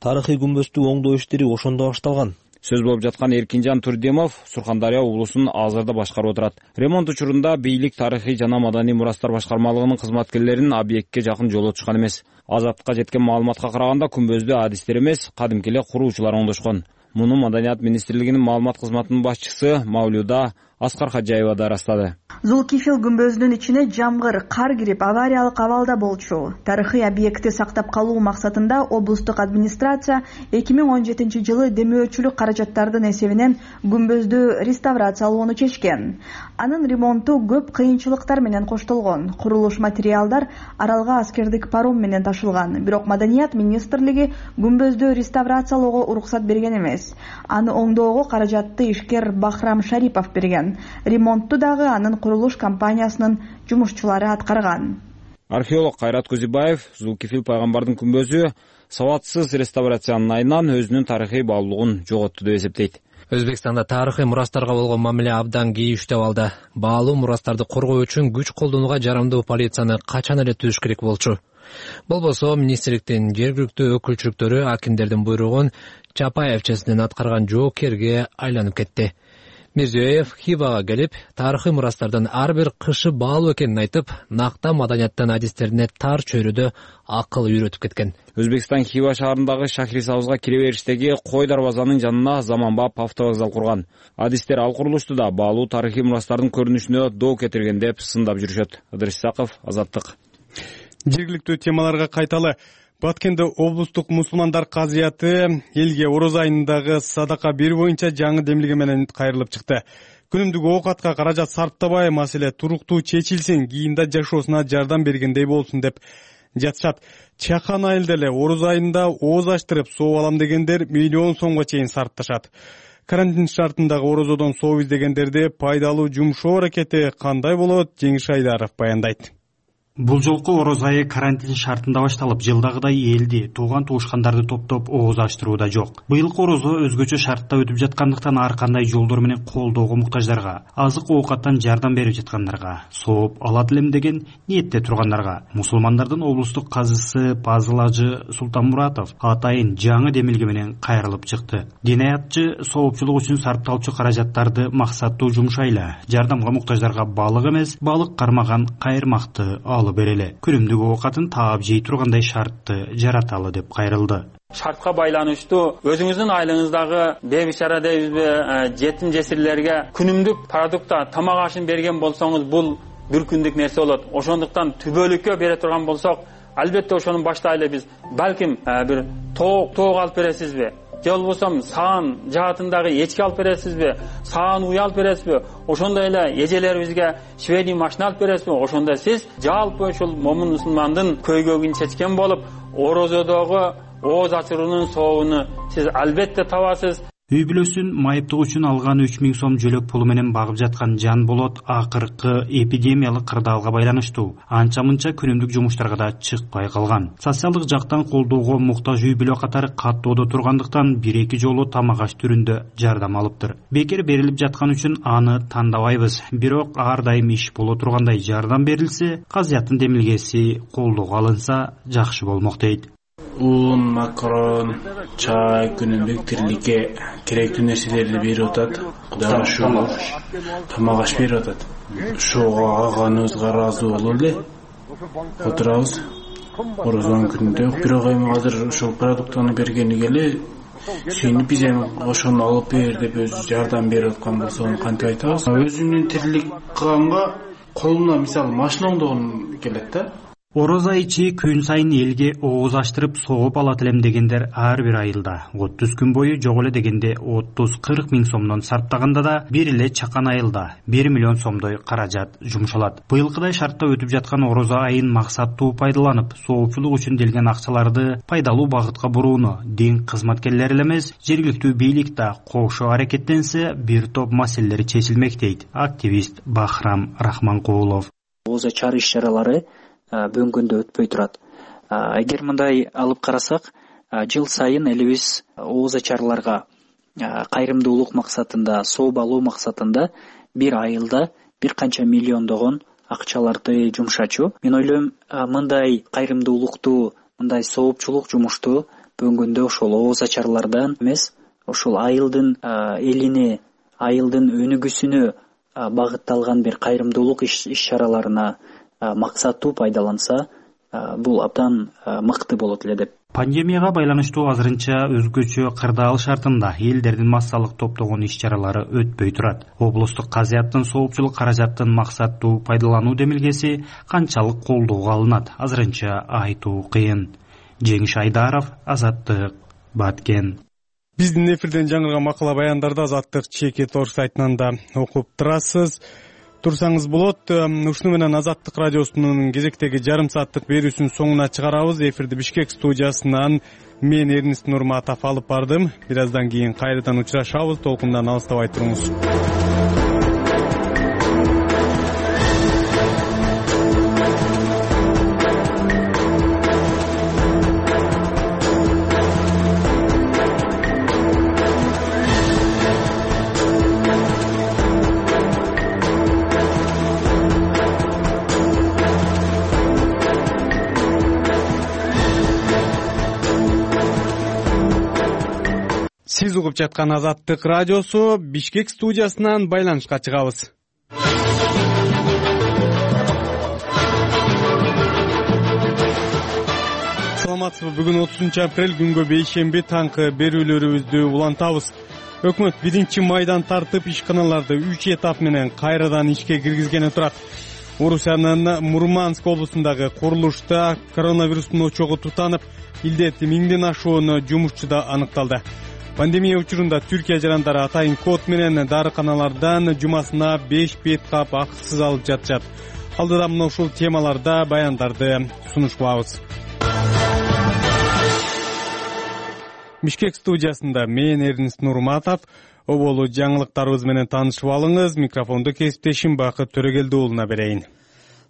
Тарыхый күмбөздү оңдоо иштери ошондо башталган. Сөз болуп жаткан Эркинжан Турдимов Сурхандария облусун азырда башкарып отурат. Ремонт учурунда бийлик тарыхый жана маданий мурастар башкармалыгынын кызматкерлерин объектке жакын жолотушкан эмес. Азаттыкка жеткен маалыматка караганда күмбөздү адистер эмес, кадимки эле куруучулар оңдошкон. Муну Маданият министрлигинин маалымат кызматынын башчысы Мавлюда Аскар Хаджаева да ырастады. Зулкифил күмбөзүнүн ичине жамгыр, кар кирип авариялык абалда болчу. Тарыхый объектти сактап калуу максатында облустук администрация 2017 жылы демөөчүлүк каражаттардын эсебинен күмбөздү реставрациялоону чечкен. Анын ремонту көп кыйынчылыктар менен коштолгон. Курулуш материалдар аралга аскердик паром менен ташылган. Бирок Маданият министрлиги күмбөздү реставрациялоого уруксат берген эмес. Аны оңдоого каражатты ишкер Бахрам Шарипов берген. Ремонтту дагы анын курулуш компаниясынын жумушчулары аткарган. Археолог Кайрат Кузибаев Зулкифил пайгамбардын күмбөзү сабатсыз реставрациянын айынан өзүнүн тарыхый баалуулугун жоготту деп эсептейт. Өзбекстанда тарыхый мурастарга болгон мамиле абдан кейиштеп алды. Баалуу мурастарды коргоо үчүн күч колдонууга жарамдуу полицияны качан эле түзүш керек болчу. Болбосо министрликтин жергиликтүү өкүлчүлүктөрү акимдердин буйругун Чапаевчесинен аткарган жоокерге айланып кетти. Мирзиёев Хивага келип, тарыхый мурастардын ар бир кышы баалуу экенин айтып, накта маданияттын адистерине тар чөйрөдө акыл үйрөтүп кеткен. Өзбекстан Хива шаарындагы Шахрисабызга кире бериштеги Кой дарбазанын жанына заманбап автовокзал курган. Адистер ал курулушту да баалуу тарыхый мурастардын көрүнүшүнө доо кетирген деп сындап жүрүшөт. Ыдырыс Исаков, Азаттык. Жергиликтүү темаларга кайталы. Баткенде облустук мусулмандар казыяты элге ороз айындагы садака берүү боюнча жаңы демилге менен кайрылып чыкты. Күнүмдүк оокатка каражат сарптабай маселе туруктуу чечилсин, кийинде жашоосуна жардам бергендей болсун деп жатышат. Чакан айылда эле ороз айында ооз ачтырып сооп алам дегендер миллион сомго чейин сарпташат. Карантин шартындагы орозодон сооп издегендерди пайдалуу жумшоо аракети кандай болот? Жеңиш Айдаров баяндайт. Бул жолку ороз айы карантин шартында башталып, жылдагыдай элди, тууган туушкандарды топтоп ооз ачтырууда жок. Быйылкы орозо өзгөчө шартта өтүп жаткандыктан ар кандай жолдор менен колдоого муктаждарга, азык оокаттан жардам берип жаткандарга, сооп алат элем деген ниетте тургандарга. Мусулмандардын облустук казысы Пазыл Ажы Султанмуратов атайын жаңы демилге менен кайрылып чыкты. Динаятчы соопчулук үчүн сарпталчу каражаттарды максаттуу жумшайлы, жардамга муктаждарга балык эмес, балык кармаган кайырмакты береле. Күнүмдүк оокатын таап жей тургандай шартты жараталы деп кайрылды. Шартка байланыштуу өзүңүздүн айлыгыңыздагы бейбичара дейбизби, жетим жесирлерге күнүмдүк продукта тамак ашын берген болсоңуз, бул бир күндүк нерсе болот. Ошондуктан түбөлүккө бере турган болсок, албетте ошону баштайлы биз. Балким бир тоок алып бересизби? Же болбосо саан жаатындагы эчки алып бересизби? Саан уй алып бересизби? Ошондой эле эжелерибизге швейный машина алып бересизби? Ошондо сиз жалпы ушул момун мусулмандын көйгөйүн чечкен болуп, орозодогу ооз ачыруунун сообуну сиз албетте табасыз. Үй бүлөсүн майыптык үчүн алган 3000 сом жөлөк пулу менен багып жаткан Жан Болот акыркы эпидемиялык кырдаалга байланыштуу анча-мынча күнүмдүк жумуштарга да чыкпай калган. Социалдык жактан колдоого муктаж үй бүлө катары каттоодо тургандыктан 1-2 жолу тамак аш түрүндө жардам алыптыр. Бекер берилип жаткан үчүн аны тандабайбыз. Бирок ар дайым иш боло тургандай жардам берилсе, казыяттын демилгеси колдоого алынса жакшы болмок дейт. Un, макарон, чай, күнүмдүк тириликке керектүү нерселерди берип атат. Кудайга шүгүр. Тамак аш берип атат. Ошого алганыбызга ыраазы болуп эле отурабыз. Орозонун күнүндө бирок эми азыр ошол продуктаны бергениге эле сүйүнүп биз эми ошону алып бер деп өзү жардам берип аткан болсо кантип айтабыз? Өзүмдүн тирилик кылганга колумна мисалы машина оңдогон келет да. Ороз айчы күн сайын элге ооз ачтырып сооп алат элем дегендер ар бир айылда. 30 күн бою жок эле дегенде 30-40 миң сомдон сарптаганда да бир эле Чакан айылда 1 миллион сомдой каражат жумшалат. Быйылкыдай шартта өтүп жаткан ороз айын максаттуу пайдаланып, соопчулук үчүн делген акчаларды пайдалуу багытка бурууну дин кызматкерлери эле эмес, жергиликтүү бийлик да кошо аракеттенсе, бир топ маселелер чечилмек дейт активист Бахрам Рахманкулов. Ооз ачар иш-чаралары бөнгөндө өтпөй турат. Эгер мындай алып карасак, жыл сайын элибиз ооз ачарларга кайрымдуулук максатында, сооп алуу максатында бир айылда бир канча миллиондогон акчаларды жумшачу. Мен ойлойм, мындай кайрымдуулукту, мындай соопчулук жумушту бөнгөндө ошол ооз ачарлардан эмес, ошол айылдын элине, айылдын өнүгүүсүнө багытталган бир кайрымдуулук иш-чараларына максаттуу пайдаланса, бул абдан мыкты болот эле деп Пандемияга байланыштуу азырынча өзгөчө кырдаал шартында элдердин массалык топтогон иш-чаралары өтпөй турат. Облустук казыяттын соопчулук каражаттын максаттуу пайдалануу демилгеси канчалык колдоого алынат азырынча айтуу кыйын. Жеңиш Айдаров, Азаттык, Баткен. Биздин эфирден жаңырган макала баяндарды Азаттык чекит орус сайтынан да окуп турасыз. Турсаңыз болот. Ушуну менен Азаттык радиосунун кезектеги жарым сааттык берүүсүнүн соңуна чыгарабыз. Эфирди Бишкек студиясынан мен Эрнист Нурматов алып бардым. Бир аздан кийин кайрадан учурашабыз. Толкундан алыстабай туруңуз. Сиз угуп жаткан Азаттык радиосу, Бишкек студиясынан байланышка чыгабыз. Саламатсызбы? Бүгүн 30 апрель күнгө бейшемби таңкы берүүлөрүбүздү улантабыз. Өкмөт 1 майдан тартып ишканаларды 3 этап менен кайрадан ишке киргизгени турат. Орусиянын Мурманск облусундагы курулушта коронавирустун очогу тутанып, илдет 1000ден ашуун жумушчуда аныкталды. Пандемия учурунда Түркия жарандары атайын код менен дарыканалардан жумасына 5 бет кап акысыз алып жатышат. Алдыда мына ушул темаларда баяндарды сунушпабыз. Бишкек студиясында мен Эрнист Нурматов. Оболу жаңылыктарыбыз менен таанышып алыңыз. Микрофонду кесиптешим Бакыт Төрөгелди уулуна берейин.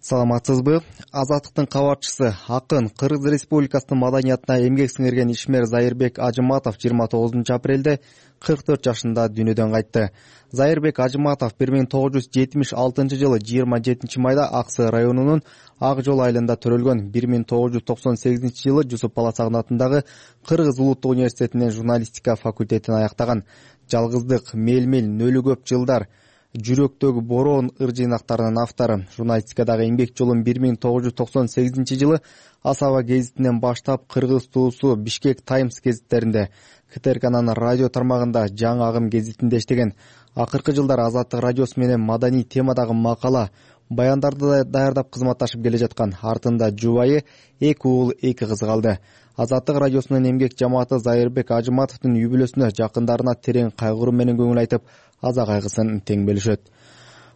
Саламатсызбы? Азаттыктын кабарчысы, акын Кыргыз Республикасынын маданиятына эмгек сиңирген ишмер Зайырбек Ажыматов 29 апрелде 44 жашында дүйнөдөн кайтты. Зайырбек Ажыматов 1976 жылы 27 майда Аксы районунун Ак жол айылында төрөлгөн. 1998 жылы Жусуп Баласагын атындагы Кыргыз Улуттук университетинин журналистика факультетин аяктаган. Жалгыздык, Мелмел, Нөлү көп жылдар, Жүрөктөгү бороон ыр-жыйнактарынын автору. Журналистикадагы эмгек жолун 1998 жылы Асаба гезитинен баштап Кыргыз туусу Бишкек Таймс гезиттеринде, КТРКнын радио тармагында Жаңы агым гезитинде иштеген. Акыркы жылдар Азаттык радиосу менен маданий темадагы макала, баяндарды даярдап кызматташып келе жаткан. Артында жубайы 2 уул 2 кыз калды. Азаттык радиосунун эмгек жамааты Зайырбек Ажыматовдун үй бүлөсүнө, жакындарына терең кайгыруу менен көңүл айтып, аза кайгысын тең бөлүшөт.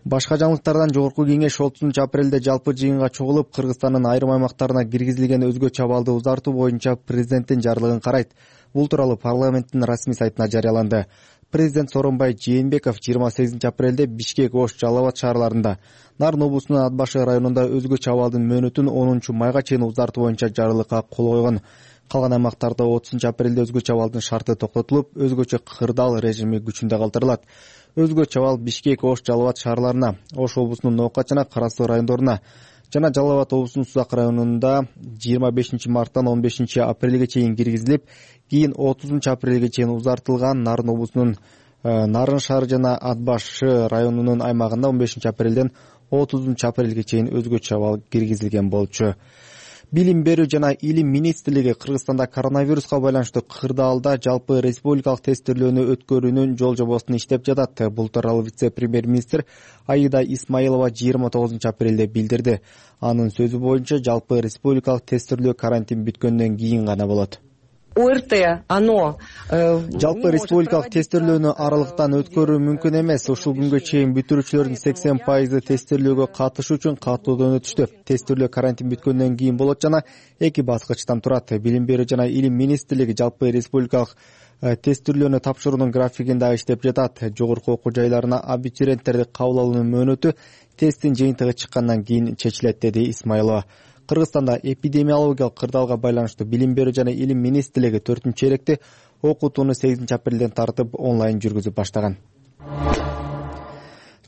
Башка жаңылыктардан жогорку кеңеш 30 апрелде жалпы жыйынга чогулуп, Кыргызстандын айрым аймактарына киргизилген өзгөчө абалды узартуу боюнча президенттин жарлыгын карайт. Бул тууралуу парламенттин расмий сайтына жарыяланды. Президент Сооронбай Жээнбеков 28 апрелде Бишкек, Ош, Жалал Абад шаарларында, Нарын облусунун Ат башы районунда өзгөчө абалдын мөөнөтүн 10 майга чейин узартуу боюнча жарлыкка кол койгон. Калган аймактарда 30 апрелде өзгөчө абалдын шарты токтотулуп, өзгөчө кырдаал режими күчүндө калтырылат. Өзгөчө абал Бишкек, Ош, Жалал Абад шаарларына, Ош облусунун Ноокат жана Кара Суу райондоруна жана Жалал Абад облусунун Сузак районунда 25 марттан 15 апрелге чейин киргизилип, кийин 30 апрелге чейин узартылган. Нарын облусунун Нарын шаары жана Ат башы районунун аймагында 15 апрелден 30 апрелге чейин өзгөчө абал киргизилген болчу. Билим берүү жана илим министрлиги Кыргызстанда коронавируска байланыштуу кырдаалда жалпы республикалык тестирлөөнү өткөрүүнүн жол жобосун иштеп жатат. Бул тууралуу вице-премьер-министр Аида Исмаилова 29 апрелде билдирди. Анын сөзү боюнча жалпы республикалык тестирлөө карантин бүткөндөн кийин гана болот. ОРТ, оно жалпы республикалык тестирлөөнү аралыктан өткөрүү мүмкүн эмес. Ушул күнгө чейин бүтүрүүчүлөрдүн 80% тестирлөөгө катышуу үчүн катуудан өтүштү. Тестирлөө карантин бүткөндөн кийин болот жана 2 баскычтан турат. Билим берүү жана илим министрлиги жалпы республикалык тестирлөөнү тапшыруунун графигин дагы иштеп жатат. Жогорку окуу жайларына абитуриенттерди кабыл алуунун мөөнөтү тесттин жыйынтыгы чыккандан кийин чечилет, деди Исмаилова. Кыргызстанда эпидемиологиялык кырдаалга байланыштуу билим берүү жана илим министрлиги 4-черекте окутууну 8 апрелден тартып онлайн жүргүзүп баштаган.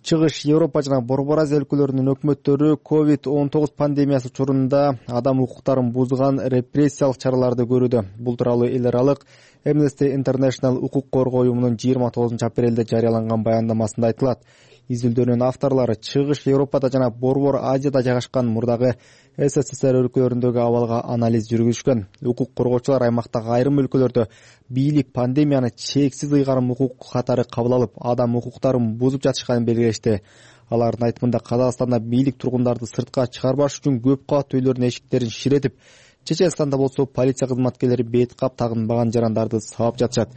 Чыгыш Европа жана Борбор Азия өлкөлөрүнүн өкмөттөрү COVID-19 пандемиясы учурунда адам укуктарын бузган репрессиялык чараларды көрүүдө. Бул тууралуу эл аралык Amnesty International укук коргоо уюмунун 29 апрелде жарыяланган баяндамасында айтылат. Изилдөөнүн авторлору Чыгыш Европада жана Борбор Азияда жайгашкан мурдагы СССР өлкөлөрүндөгү абалга анализ жүргүзүшкөн. Укук коргоочулар аймактагы айрым өлкөлөрдө бийлик пандемияны чексиз ыйгарым укук катары кабыл алып, адам укуктарын бузуп жатышканын белгилешти. Алардын айтымында Казакстанда бийлик тургундарды сыртка чыгарбаш үчүн көп кабаттуу үйлөрдүн эшиктерин ширетип, Чеченстанда болсо полиция кызматкерлери бет кап тагынбаган жарандарды сабап жатышат.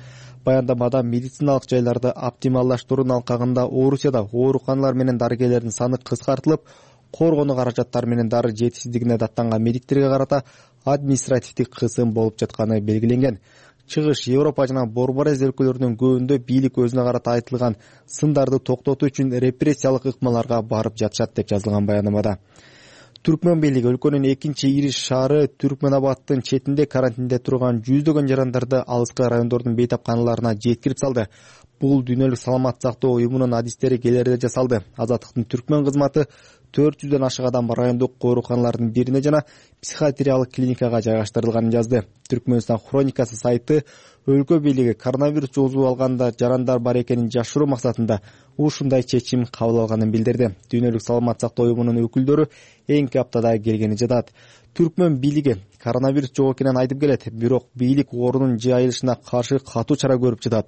Баяндамада медициналык жайларды оптималдаштыруунун алкагында Орусияда ооруканалар менен дарыгерлердин саны кыскартылып, коргонуу каражаттары менен дары жетишсиздигине даттанган медиктерге карата административдик кысым болуп жатканы белгиленген. Чыгыш Европа жана Борбор Азия өлкөлөрүнүн көбүндө бийлик өзүнө карата айтылган сындарды токтотуу үчүн репрессиялык ыкмаларга барып жатышат деп жазылган баяндамада. Түркмөн бийлиги өлкөнүн экинчи ири шаары Түркмөнабадтын четинде карантинде турган жүздөгөн жарандарды алыскы райондордун бейтапканаларына жеткирип салды. Бул Дүйнөлүк саламат сактоо уюмунун адистери келерде жасалды. Азаттыктын Түркмөн кызматы 400дөн ашык адам райондук ооруканалардын бирине жана психиатриялык клиникага жайгаштырылганын жазды. Түркмөнстан хроникасы сайты өлкө бийлиги коронавирус жугузуп алганда жарандар бар экенин жашыруу максатында ушундай чечим кабыл алганын билдирди. Дүйнөлүк саламат сактоо уюмунун өкүлдөрү эңки аптада келгени жатат. Түркмөн бийлиги коронавирус жок экенин айтып келет, бирок бийлик оорунун жайылышына каршы катуу чара көрүп жатат.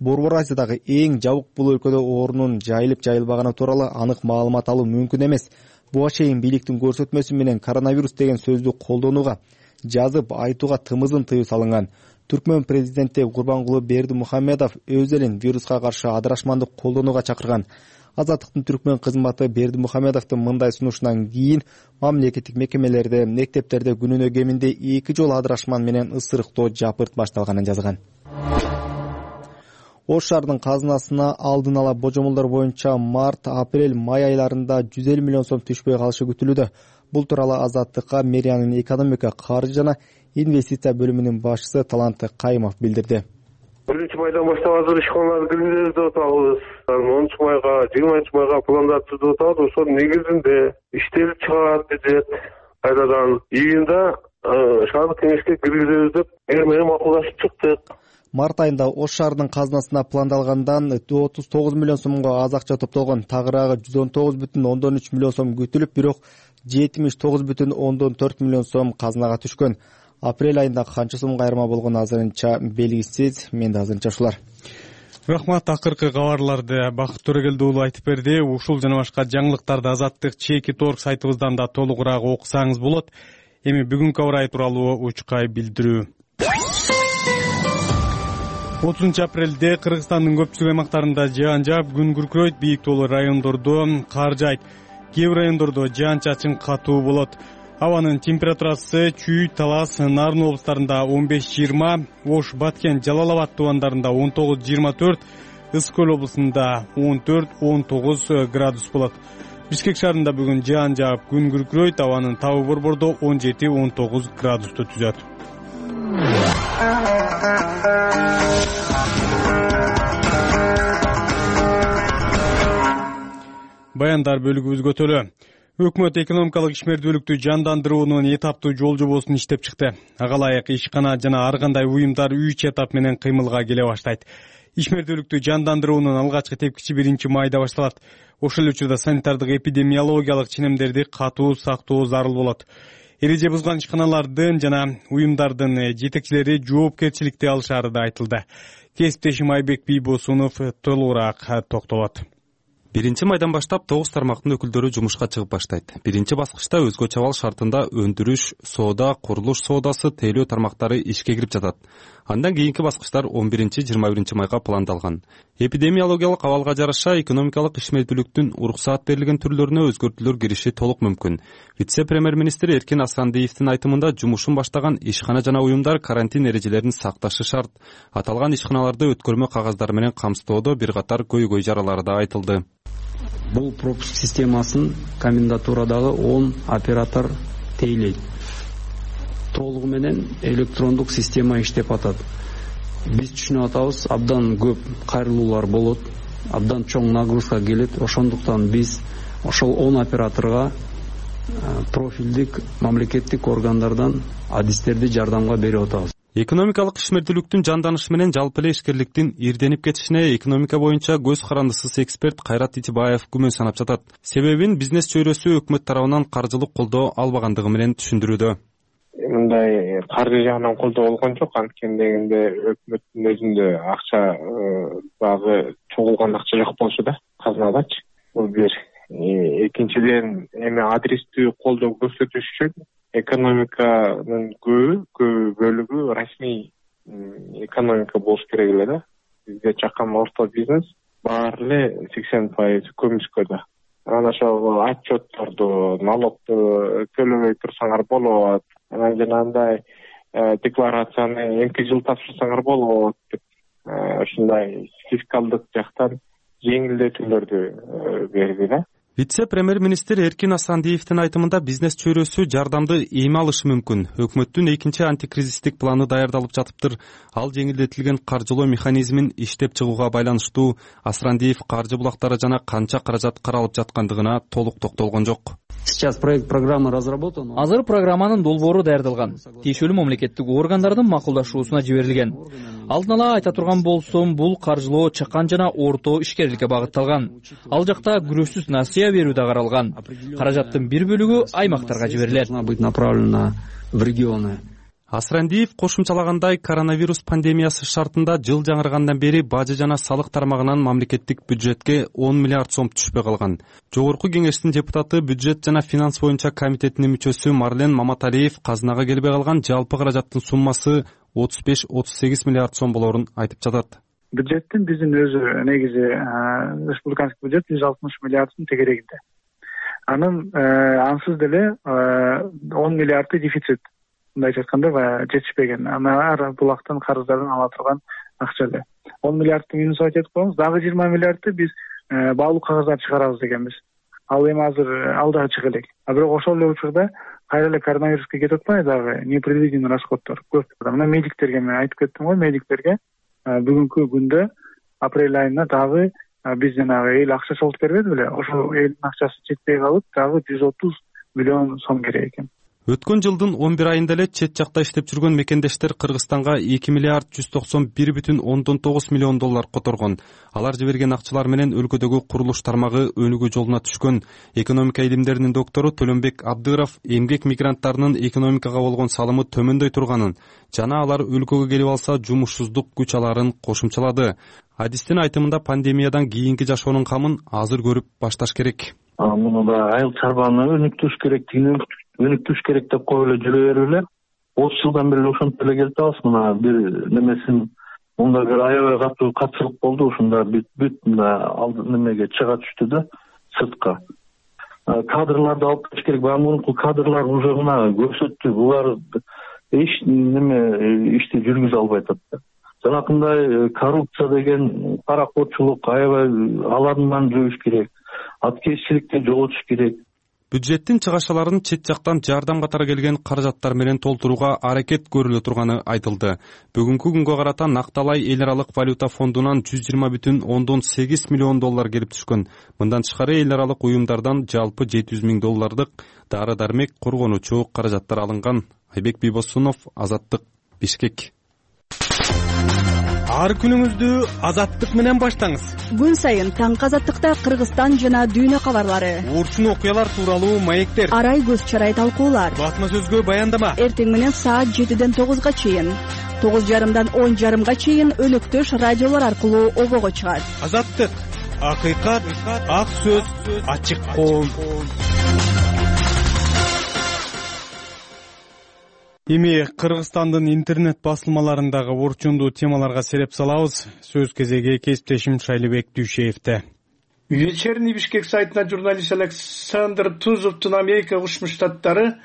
Борбор Азиядагы эң жабык бул өлкөдө оорунун жайылып жайылбаганы тууралуу анык маалымат алуу мүмкүн эмес. Буга чейин бийликтин көрсөтмөсү менен коронавирус деген сөздү колдонууга, жазып айтууга тымызын тыюу салынган. Түркмөн президенти Курбангулы Бердимухамедов өз элин вируска каршы адырашмандык колдонууга чакырган. Азаттыктын Түркмөн кызматы Бердимухамедовдун мындай сунушунан кийин мамлекеттик мекемелерде, мектептерде күнүнө кеминде 2 жолу адырашман менен ысырыктоо жапырт башталганын жазган. Ош шаарынын казынасына алдын ала божомолдор боюнча март, апрель, май айларында 150 миллион сом түшпөй калышы күтүлүүдө. Бул тууралуу Азаттыкка мэриянын экономика, каржы жана инвестиция бөлүмүнүн башчысы Талант Кайымов билдирди. 1-майдан баштап азыр ишканаларды киргизебиз деп атабыз. 10-майга, 20-майга пландар түзүп атабыз. Ошонун негизинде иштер чыгат дедет. Кайрадан июнда шаардык кеңешке киргизебиз деп эр менен макулдашып чыктык. Март айында Ош шаарынын казынасына пландалгандан 39 миллион сомго аз акча топтолгон. Тагыраагы 119,3 миллион сом күтүлүп, бирок 79,4 миллион сом казынага түшкөн. Апрель айында канча сом кайрма болгону азырынча белгисиз. Менде азырынча ушулар. Рахмат, акыркы кабарларды Бакыт Төрөгелди уулу айтып берди. Ушул жана башка жаңылыктарды Азаттык /org сайтыбыздан да толугураак окусаңыз болот. Эми бүгүнкү аба ырайы тууралуу учкай билдирүү. 30 апрелде Кыргызстандын көпчүлүк аймактарында жаан жаап, күн күркүрөйт, бийик тоолуу райондордо кар жаайт. Кээ бир райондордо жаан-чачын катуу болот. Абанын температурасы Чүй, Талас, Нарын облустарында 15-20, Ош, Баткен, Жалал Абад тубандарында 19-24, Ыскөл облусунда 14-19 градус болот. Бишкек шаарында бүгүн жаан жаап, күн күркүрөйт, абанын табы борбордо 17-19 градусту түзөт. Баяндар бөлүгүбүз көтөлө. Өкмөт экономикалык ишмердүүлүктү жандандыруунун этаптуу жол жобосун иштеп чыкты. Ага ылайык ишкана жана ар кандай уюмдар 3 этап менен кыймылга келе баштайт. Ишмердүүлүктү жандандыруунун алгачкы тепкичи 1-майда башталат. Ошол учурда санитардык эпидемиологиялык ченемдерди катуу сактоо зарыл болот. Эреже бузган ишканалардын жана уюмдардын жетекчилери жоопкерчиликти алышары да айтылды. Кесиптешим Айбек Бийбосунов толугураак токтолот. 1-майдан баштап 9 тармактын өкүлдөрү жумушка чыгып баштайт. Биринчи баскычта өзгөчө абал шартында өндүрүш, соода, курулуш соодасы, тейлөө тармактары ишке кирип жатат. Андан кийинки баскычтар 11-21 майга пландалган. Эпидемиологиялык абалга жараша экономикалык ишмердүүлүктүн уруксаат берилген түрлөрүнө өзгөртүүлөр кириши толук мүмкүн. Вице-премьер-министр Эркин Асандиевдин айтымында жумушун баштаган ишкана жана уюмдар карантин эрежелерин сакташы шарт. Аталган ишканаларды өткөрмө кагаздары менен камсыздоодо бир катар көйгөй жаралары да айтылды. Бул пропуск системасын комендатурадагы 10 оператор тейлейт. Толугу менен электрондук система иштеп атат. Биз түшүнүп атабыз, абдан көп кайрылуулар болот, абдан чоң нагрузка келет. Ошондуктан биз ошол 10 операторго профилдик мамлекеттик органдардан адистерди жардамга берип атабыз. Экономикалык ишмердүүлүктүн жанданышы менен жалпы эле ишкерликтин ирденип кетишине экономика боюнча көз карандысыз эксперт Кайрат Итибаев күмөн санап жатат. Себебин бизнес чөйрөсү өкмөт тарабынан каржылык колдоо албагандыгы менен түшүндүрүүдө. Мындай каржы жагынан колдоо болгон жок, анткени дегенде өкмөттүн өзүндө акча багы чогулган акча жок болчу да казынадачы. Бул бир. Экинчиден эми адрестүү колдоо көрсөтүш үчүн экономиканын көп бөлүгү расмий экономика болуш керек эле да. Бизде чакан орто бизнес баары эле 80% көмүскөдө. Анан ошол отчетторду, налогду төлөбөй турсаңар болот. Анан жанагындай декларацияны эмки жыл тапшырсаңар болот деп ушундай фискалдык жактан жеңилдетүүлөрдү берди да. Вице-премьер-министр Эркин Асандиевдин айтымында бизнес чөйрөсү жардамды эми алышы мүмкүн. Өкмөттүн экинчи антикризистик планы даярдалып жатыптыр. Ал жеңилдетилген каржылоо механизмин иштеп чыгууга байланыштуу. Асрандиев каржы булактары жана канча каражат каралып жаткандыгына толук токтолгон жок. Сейчас проект программы разработан. Азыр программанын долбоору даярдалган. Тиешелүү мамлекеттик органдардын макулдашуусуна жиберилген. Алдын ала айта турган болсом, бул каржылоо чакан жана орто ишкерликке багытталган. Ал жакта күрөшсүз насыя берүү да каралган. Каражаттын бир бөлүгү аймактарга жиберилет. Быть направлена в регионы. Асрандиев кошумчалагандай, коронавирус пандемиясы шартында жыл жаңыргандан бери бажы жана салык тармагынан мамлекеттик бюджетке 10 миллиард сом түшпөй калган. Жогорку кеңештин депутаты, бюджет жана финанс боюнча комитетинин мүчөсү Марлен Маматалиев казынага келбей калган жалпы каражаттын суммасы 35-38 миллиард сом болорун айтып жатат. Бюджеттин биздин өзү негизи республиканский бюджет 160 миллиарддын тегерегинде. Анын ансыз деле 10 миллиарды дефицит. Мындайча айтканда жетишпеген. Ар булактан карыздардан ала турган акча эле. 10 миллиардты минус айтып коебуз. Дагы 20 миллиардты биз баалуу кагаздар чыгарабыз дегенбиз. Ал эми азыр ал дагы чыга элек. Бирок ошол эле учурда кайра эле коронавируска кетип атпайбы дагы непредвиденный расходдор көп. Мына медиктерге мен айтып кеттим го, медиктерге бүгүнкү күндө апрель айына дагы биз жанагы эл акча чогултуп бербеди беле? Ошол элдин акчасы жетпей калып, дагы 130 миллион сом керек экен. Өткөн жылдын 11 айында эле чет жакта иштеп жүргөн мекендештер Кыргызстанга 2 миллиард 191,9 миллион доллар которгон. Алар жиберген акчалар менен өлкөдөгү курулуш тармагы өнүгүү жолуна түшкөн. Экономика илимдеринин доктору Төлөнбек Абдыров эмгек мигранттарынын экономикага болгон салымы төмөндөй турганын жана алар өлкөгө келип алса жумушсуздук күч аларын кошумчалады. Адистин айтымында пандемиядан кийинки жашоонун камын азыр көрүп башташ керек. Муну да айыл чарбаны өнүктүрүш керек деп коюп эле жүрө берип эле 30 жылдан бери ошентип эле келип атабыз. Мына бир немесин мында бир аябай катуу катчылык болду. Ушунда бүт немеге чыга түштү да сыртка. Кадрларды алып келиш керек. Мурунку кадрлар уже мына көрсөттү. Булар эч неме ишти жүргүзө албай атат да. Жанакындай коррупция деген паракотчулук аябай алардан жойуш керек. Аткезчиликти жоготуш керек. Бюджеттин чыгашаларын чет жактан жардам катары келген каражаттар менен толтурууга аракет көрүлө турганы айтылды. Бүгүнкү күнгө карата Накталай эл аралык валюта фондунан 120,8 миллион доллар келип түшкөн. Мындан тышкары эл аралык уюмдардан жалпы 700 миң доллардык дары-дармек, коргонуучу каражаттар алынган. Айбек Бийбосунов, Азаттык, Бишкек. Ар күнүңүздү Азаттык менен баштаңыз. Күн сайын таңкы Азаттыкта Кыргызстан жана дүйнө кабарлары, урчун окуялар тууралуу маектер, арай көз чарай талкуулар, басма сөзгө баяндама. Эртең менен саат 7ден 9га чейин, 9:30дан 10:30га чейин өнөктөш радиолор аркылуу обого чыгат. Азаттык, акыйкат, ак сөз, ачык коом. Эми Кыргызстандын интернет басылмаларындагы орчундуу темаларга сереп салабыз. Сөз кезеги кесиптешим Шайлыбек Дүйшеевде. Вечерний Бишкек сайтына журналист Александр Тузовдун Америка Кошмо Штаттары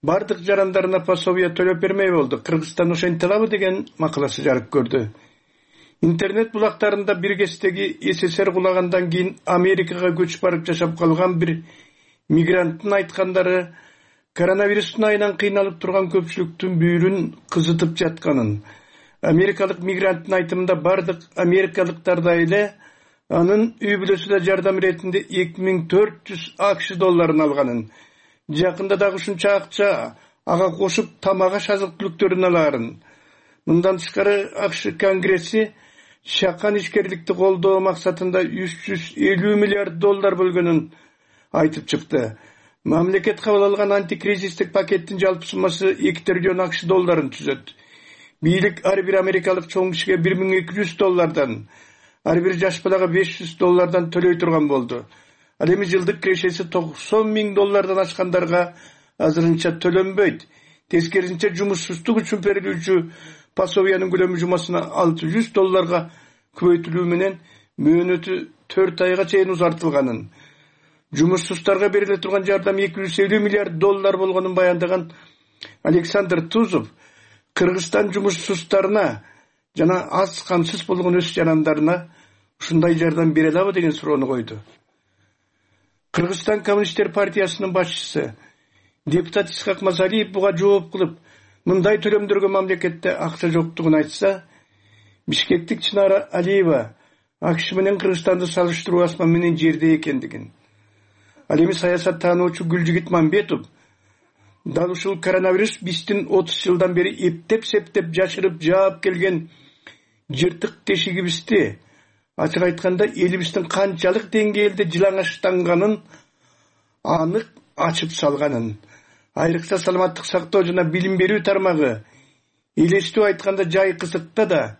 бардык жарандарына пособие төлөп бермей болду. Кыргызстан ошентип алабы деген макаласы жарык көрдү. Интернет булактарында бир кездеги СССР кулагандан кийин Америкага көчүп барып жашап калган бир мигранттын айткандары коронавирустун айынан кыйналып турган көпчүлүктүн бүйүрүн кызытып жатканын. Америкалык мигранттын айтымында бардык америкалыктардай эле анын үй бүлөсү да жардам иретинде 2400 АКШ долларын алганын. Жакында дагы ушунча акча ага кошуп тамак аш азык түлүктөрүн алаарын. Мындан тышкары АКШ Конгресси чакан ишкерликти колдоо максатында $350 миллиард бөлгөнүн айтып чыкты. Мамлекет кабыл алган антикризистик пакеттин жалпы суммасы $2 триллион АКШ түзөт. Бийлик ар бир америкалык чоң кишиге $1,200, ар бир жаш балага $500 төлөй турган болду. Ал эми жылдык кирешеси $90,000 ашкандарга азырынча төлөнбөйт. Тескерисинче жумушсуздук үчүн берилүүчү пособиянын көлөмү жумасына $600 көбөйтүлүү менен мөөнөтү 4 айга чейин узартылганын, жумушсуздарга бериле турган жардам $250 миллиард болгонун баяндаган Александр Тузов Кыргызстан жумушсуздарына жана аз камсыз болгон өз жарандарына ушундай жардам бере алабы деген суроону койду. Кыргызстан Коммунисттер партиясынын башчысы депутат Исхак Мазалиев буга жооп кылып, мындай төлөмдөргө мамлекетте акча жоктугун айтса, Бишкектик Чынара Алиева АКШ менен Кыргызстанды салыштыруу асман менен жерде экендигин, ал эми саясат таануучу Гүлжигит Мамбетов дал ушул коронавирус биздин 30 жылдан бери эптеп-септеп жашырып жаап келген жыртык тешигибизди, ачык айтканда элибиздин канчалык деңгээлде жылаңачтанганын анык ачып салганын, айрыкча саламаттык сактоо жана билим берүү тармагы элестүү айтканда жай кызыкта да,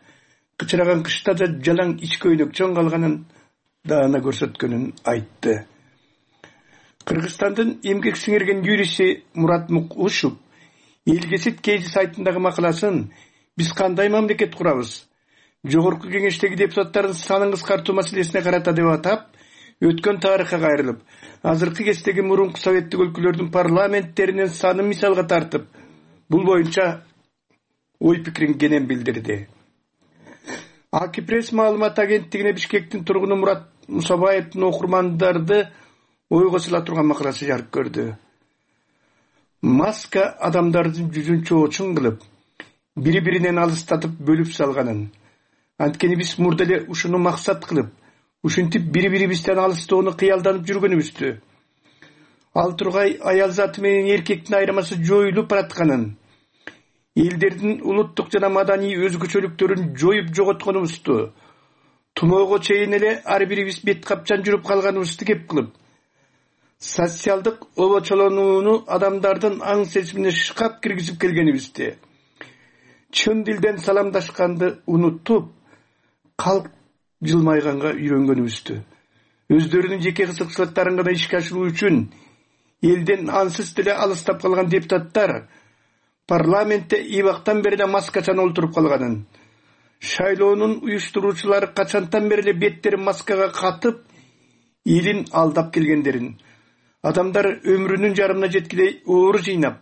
кычыраган кышта да жалаң ич көйнөкчөн калганын даана көрсөткөнүн айтты. Кыргызстандын эмгек сиңирген юристи Мурат Мукушев Элгесит Кейди сайтындагы макаласын «Биз кандай мамлекет курабыз? Жогорку кеңештеги депутаттардын санын кыскартуу маселесине карата» деп атап, өткөн тарыхка кайрылып, азыркы кездеги мурунку советтик өлкөлөрдүн парламенттеринин санын мисалга тартып, бул боюнча ой пикирин кенен билдирди. Акипресс маалымат агенттигине Бишкектин тургуну Мурат Мусабаевдин окурмандарды ойго сала турган макаласы жарык көрдү. Маска адамдардын жүзүн чоочун кылып, бири-биринен алыстатып бөлүп салганын, анткени биз мурда эле ушуну максат кылып, ушинтип бири-бирибизден алыстоону кыялданып жүргөнүбүздү. Ал тургай аял заты менен эркектин айырмасы жоюлуп баратканын, элдердин улуттук жана маданий өзгөчөлүктөрүн жоюп жоготконубузду, тумоого чейин эле ар бирибиз бет капчан жүрүп калганыбызды кеп кылып, социалдык обочолонууну адамдардын аң сезимине шкап киргизип келгенибизди, чын дилден саламдашканды унутуп, калк жылмайганга үйрөнгөнүбүздү, өздөрүнүн жеке кызыкчылыктарын гана ишке ашыруу үчүн элден ансыз деле алыстап калган депутаттар парламентте ибактан бери эле маскачан олтуруп калганын, шайлоонун уюштуруучулары качантан бери эле беттерин маскага катып, элин алдап келгендерин, адамдар өмүрүнүн жарымына жеткилей оор жыйнап,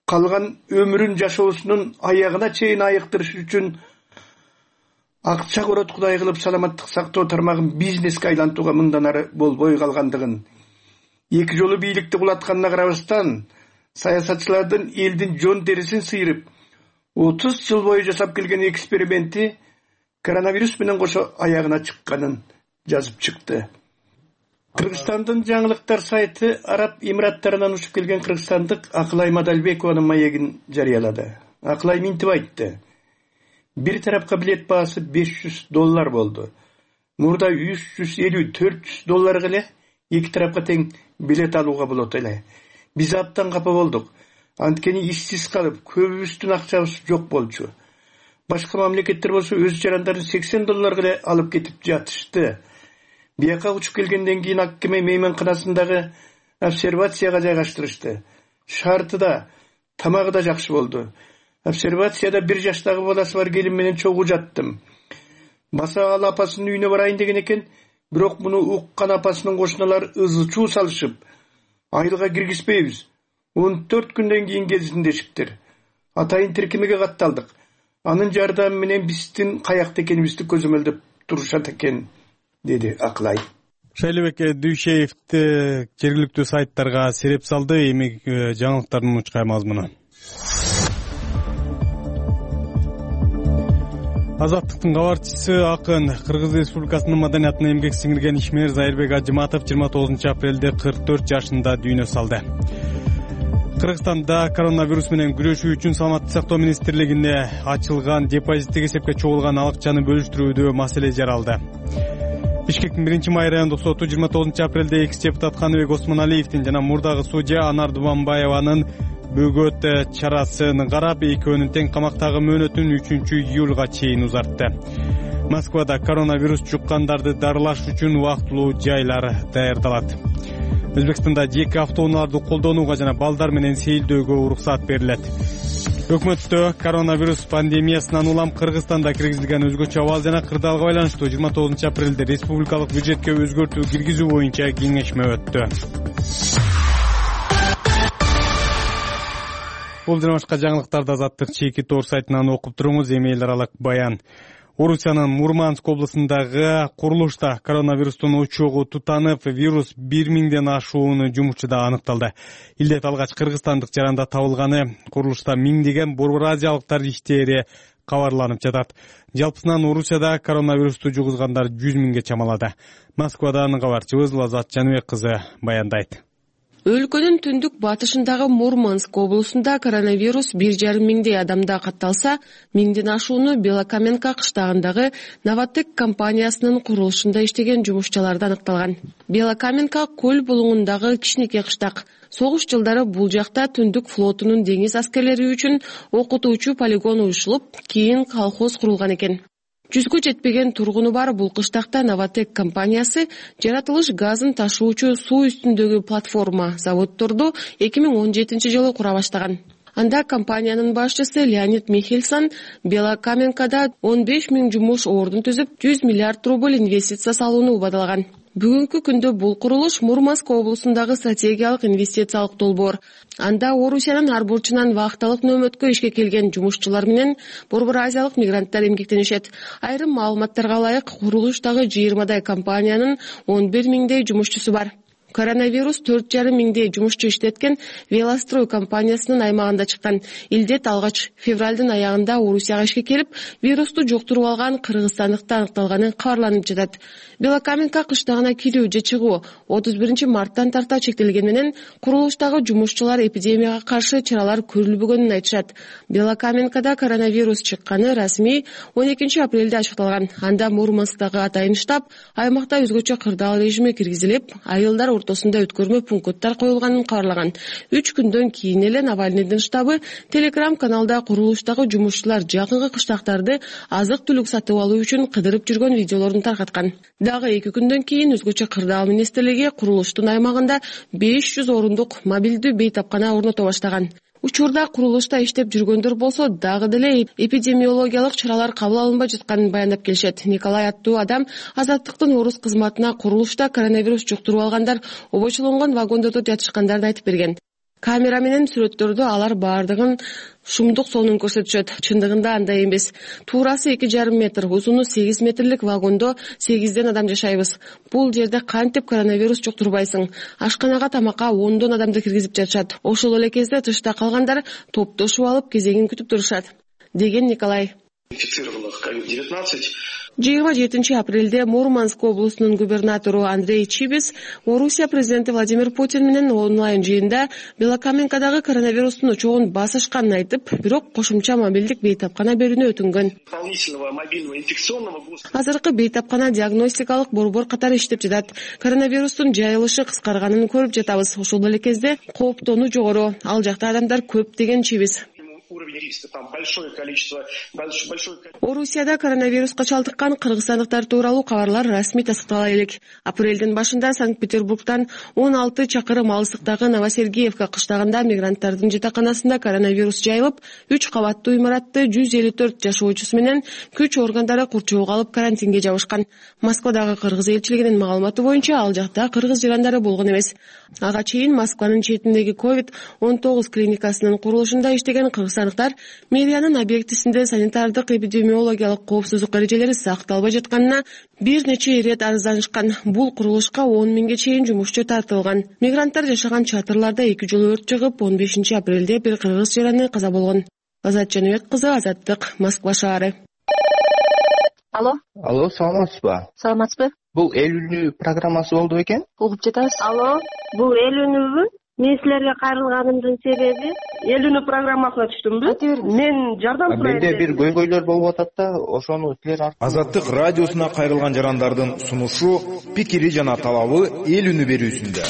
калган өмүрүн жашоосунун аягына чейин айыктырыш үчүн акча корот кудай кылып саламаттык сактоо тармагын бизнеске айлантууга мындан ары болбой калгандыгын, эки жолу бийликти кулатканына карабастан, саясатчылардын элдин жон терисин сыйрып, 30 жыл бою жасап келген эксперименти коронавирус менен кошо аягына чыкканын жазып чыкты. Кыргызстандын жаңылыктар сайты Араб Эмираттарынан учуп келген кыргызстандык Акылай Мадалбекованын маегин жарыялады. Акылай минтип айтты: бир тарапка билет баасы $500 болду. Мурда $350-400 эле эки тарапка тең билет алууга болот эле. Биз абдан капа болдук. Анткени ишсиз калып, көбүбүздүн акчабыз жок болчу. Башка мамлекеттер болсо өз жарандарын $80 эле алып кетип жатышты. Бияка учуп келгенден кийин Аккеме мейманканасындагы обсервацияга жайгаштырышты. Шарты да, тамагы да жакшы болду. Обсервацияда 1 жаштагы баласы бар келин менен чогуу жаттым. Баса ал апасынын үйүнө барайын деген экен, бирок муну уккан апасынын кошуналары ызы-чуу салышып, айылга киргизбейбиз. 14 күндөн кийин келсин дешиптир. Атайын тиркемеге катталдык. Анын жардамы менен биздин каякта экенибизди көзөмөлдөп турушат экен, деди Акылай. Шайлебек Дүйшеевди жергиликтүү сайттарга сереп салды. Эми жаңылыктардын учкай мазмуну. Азаттыктын кабарчысы акын Кыргыз Республикасынын маданиятына эмгек сиңирген ишмер Зайырбек Ажыматов 29 апрелде 44 жашында дүйнө салды. Кыргызстанда коронавирус менен күрөшүү үчүн Саламаттык сактоо министрлигине ачылган депозиттик эсепке чогулган акчаны бөлүштүрүүдө маселе жаралды. Бишкектин 1-май райондук соту 29-апрелде экс депутат Каныбек Осмоналиевдин жана мурдагы судья Анар Дубанбаеванын бөгөт чарасын карап, экөөнүн тең камактагы мөөнөтүн 3-июлга чейин узартты. Москвада коронавирус жуккандарды дарылаш үчүн убактылуу жайлар даярдалат. Өзбекстанда жеке автоунааларды колдонууга жана балдар менен сейилдөөгө уруксат берилет. Өкмөттө коронавирус пандемиясынан улам Кыргызстанда киргизилген өзгөчө абал жана кырдаалга байланыштуу 29-апрелде республикалык бюджетке өзгөртүү киргизүү боюнча кеңешме өттү. Бул жана башка жаңылыктарды Азаттык чейки тоор сайтынан окуп туруңуз. Эми эл аралык баян. Орусиянын Мурманск облусундагы курулушта коронавирустун очогу тутанып, вирус 1000ден ашуун жумушчуда аныкталды. Илдет алгач кыргызстандык жаранда табылганы, курулушта миңдеген борбор азиялыктар иштери кабарланып жатат. Жалпысынан Орусияда коронавирусту жугузгандар 100 миңге чамалады. Москвадан кабарчыбыз Лазат Жаныбек кызы баяндайт. Өлкөнүн түндүк батышындагы Мурманск облусунда коронавирус 1,5 миңдей адамда катталса, 1000ден ашууну Белокаменка кыштагындагы Новотек компаниясынын курулушунда иштеген жумушчуларда аныкталган. Белокаменка көл булуңундагы кичинекей кыштак. Согуш жылдары бул жакта түндүк флотунун деңиз аскерлери үчүн окутуучу полигон уюшулуп, кийин колхоз курулган экен. 100гө жетпеген тургуну бар бул кыштакта Новотек компаниясы жаратылыш газын ташуучу суу үстүндөгү платформа заводдорду 2017-жылы кура баштаган. Анда компаниянын башчысы Леонид Михельсон Белокаменкада 15 миң жумуш ордун түзүп, 100 миллиард рубль инвестиция салууну убадалаган. Бүгүнкү күндө бул курулуш Мурманск облусундагы стратегиялык инвестициялык долбоор. Анда Орусиянын ар бурчунан вакталык нөөмөткө ишке келген жумушчулар менен борбор азиялык мигранттар эмгектенишет. Айрым маалыматтарга ылайык, курулуштагы 20дай компаниянын 11 миңдей жумушчусу бар. Коронавирус 4,5 миңдей жумушчу иштеткен Велострой компаниясынын аймагында чыккан. Илдет алгач февралдын аягында Орусияга ишке келип, вирусту жуктуруп алган кыргызстандыкта аныкталганы кабарланып жатат. Белокаменка кыштагына кирүү же чыгуу 31-марттан тарта чектелген менен курулуштагы жумушчулар эпидемияга каршы чаралар көрүлбөгөнүн айтышат. Белокаменкада коронавирус чыкканы расмий 12-апрелде ачыкталган. Анда Мурмансктагы атайын штаб аймакта өзгөчө кырдаал режими киргизилип, айылдар ортосунда өткөрмө пункттар коюлганын кабарлаган. 3 күндөн кийин эле Навальныйдын штабы Telegram каналда курулуштагы жумушчулар жакынкы кыштактарды азык-түлүк сатып алуу үчүн кыдырып жүргөн видеолорун таркаткан. Дагы 2 күндөн кийин өзгөчө кырдаал министрлиги курулуштун аймагында 500 орундук мобилдүү бейтапкана орното баштаган. Учурда курулушта иштеп жүргөндөр болсо дагы деле эпидемиологиялык чаралар кабыл алынбай жатканын баяндап келишет. Николай аттуу адам Азаттыктын орус кызматына курулушта коронавирус жуктуруп алгандар обочолонгон вагондордо жатышкандарын айтып берген. Камера менен сүрөттөрдө алар баардыгын шумдук сонун көрсөтүшөт. Чындыгында андай эмес. Туурасы 2,5 метр, узуну 8 метрлик вагондо 8ден адам жашайбыз. Бул жерде кантип коронавирус жуктурбайсың? Ашканага тамакка 10дон адамды киргизип жатышат. Ошол эле кезде тышта калгандар топтошуп алып кезегин күтүп турушат, деген Николай. Инфицированных COVID-19. 27-апрелде Мурманск облусунун губернатору Андрей Чибис Орусия президенти Владимир Путин менен онлайн жыйында Белокаменкадагы коронавирустун очогун басышканын айтып, бирок кошумча мобилдик бейтапкана берүүнү өтүнгөн. Азыркы бейтапкана диагностикалык борбор катары иштеп жатат. Коронавирустун жайылышы кыскарганын көрүп жатабыз. Ошол эле кезде кооптонуу жогору, ал жакта адамдар көп, деген Чибис. Орусияда коронавируска чалдыккан кыргызстандыктар тууралуу кабарлар расмий тастыктала элек. Апрелдин башында Санкт-Петербургтан 16 чакырым алыстыктагы Новосергеевка кыштагында мигранттардын жатаканасында коронавирус жайылып, 3 кабаттуу имаратты 154 жашоочусу менен күч органдары курчоого алып карантинге жабышкан. Москвадагы кыргыз элчилигинин маалыматы боюнча ал жакта кыргыз жарандары болгон эмес. Ага чейин Москванын четиндеги COVID-19 клиникасынын курулушунда иштеген кыргызстандыктар мэриянын объектисинде санитардык эпидемиологиялык коопсуздук эрежелери сакталбай жатканына бир нече ирет арызданышкан. Бул курулушка 10 миңге чейин жумушчу тартылган. Мигранттар жашаган чатырларда 2 жолу өрт чыгып, 15-апрелде бир кыргыз жараны каза болгон. Азат Жаныбек кызы, Азаттык, Москва шаары. Алло, саламатсызбы? Саламатсызбы? Бул эл үнү программасы болду бекен? Угуп жатабыз. Алло, бул эл үнүбү? Мен силерге кайрылганымдын себеби элүүнү программасына түштүмбү. Мен жардам сурайм. Менде бир көйгөйлөр болуп атат да, ошону силер Азаттык радиосуна кайрылган жарандардын сунушу, пикири жана талабы эл үнү берүүсүндө.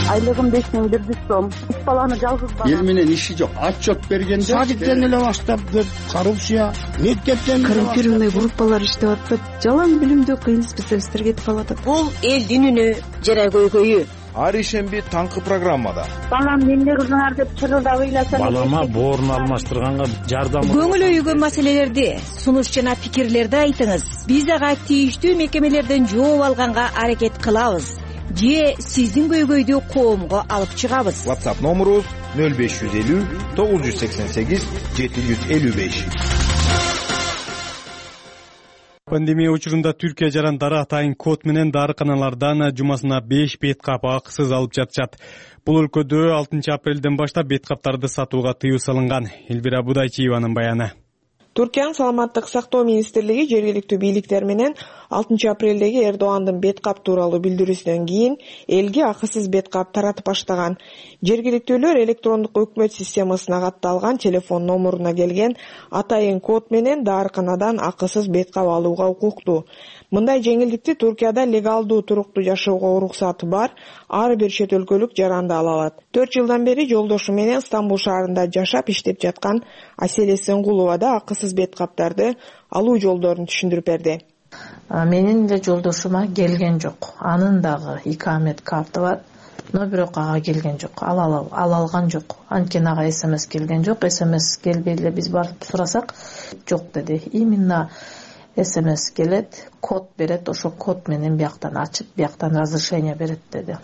Айлыгым 5100 сом. 3 баланы жалгыз бала. Эл менен иши жок. Отчет бергенде садиктен эле баштап деп коррупция, мектептен коррумпированный группалар иштеп атпайт. Жалаң билимдүү кыйын специалисттер кетип калат. Бул элдин үнү жана көйгөйү. Ар ишемби таңкы программада. Балам эмне кылдыңар деп чырылдап ыйласам. Балама боорун алмаштырганга жардам. Көңүл өйгөн маселелерди, сунуш жана пикирлерди айтыңыз. Биз ага тийиштүү мекемелерден жооп алганга аракет кылабыз. Же сиздин көйгөйдү коомго алып чыгабыз. WhatsApp номерубуз 0550 988 755. Пандемия учурунда Түркия жарандары атайын код менен дарыканалардан жумасына 5 беткап акысыз алып жатышат. Бул өлкөдө 6 апрелден баштап беткаптарды сатууга тыюу салынган. Элвира Будайчиеванын баяны. Туркиянын саламаттык сактоо министрлиги жергиликтүү бийликтер менен 6 апрелдеги Эрдогандын беткап тууралуу билдирүүсүнөн кийин элге акысыз беткап таратып баштаган. Жергиликтүүлөр электрондук өкмөт системасына катталган телефон номуруна келген атайын код менен дарыканадан акысыз беткап алууга укуктуу. Мындай жеңилдикти Туркияда легалдуу туруктуу жашоого уруксаты бар ар бир чет өлкөлүк жаранды ала алат. 4 жылдан бери жолдошу менен Стамбул шаарында жашап иштеп жаткан Аселе Сенгулова да акысыз беткаптарды алуу жолдорун түшүндүрүп берди. Менин да жолдошума келген жок. Анын дагы икамет карты бар. Но бирок ага келген жок. Ала алган жок. Анткени ага СМС келген жок. СМС келбей эле биз барып сурасак, жок деди. Именно СМС келет, код берет, ошо код менен бияктан ачып, бияктан разрешение берет деди.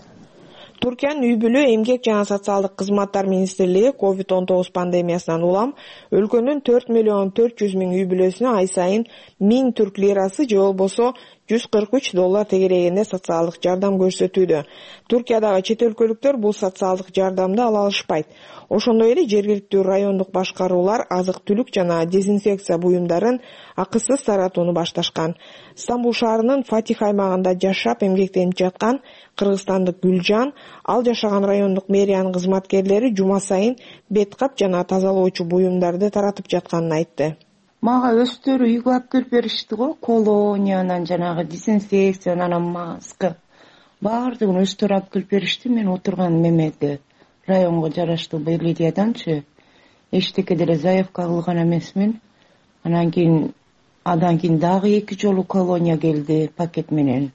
Туркиянын үй бүлө, эмгек жана социалдык кызматтар министрлиги COVID-19 пандемиясынан улам өлкөнүн 4.400.000 үй бүлөсүнө ай сайын 1000 түрк лирасы же болбосо $143 тегерегинде социалдык жардам көрсөтүүдө. Туркиядагы чет өлкөлүктөр бул социалдык жардамды ала алышпайт. Ошондой эле жергиликтүү райондук башкаруулар азык-түлүк жана дезинфекция буюмдарын акысыз таратууну башташкан. Стамбул шаарынын Фатих аймагында жашап эмгектенип жаткан кыргызстандык Гүлжан, ал жашаган райондук мэриянын кызматкерлери жума сайын беткап жана тазалоочу буюмдарды таратып жатканын айтты. Мага өздөрү үйгө алып келип беришти го, колониядан жанагы дезинфекциядан маска баардыгын өздөрү алып келип беришти. Мен отурган мемеде районго жараштуу Белидияданчы эчтеке деле заявка кылган эмесмин. Андан кийин дагы 2 жолу колония келди пакет менен.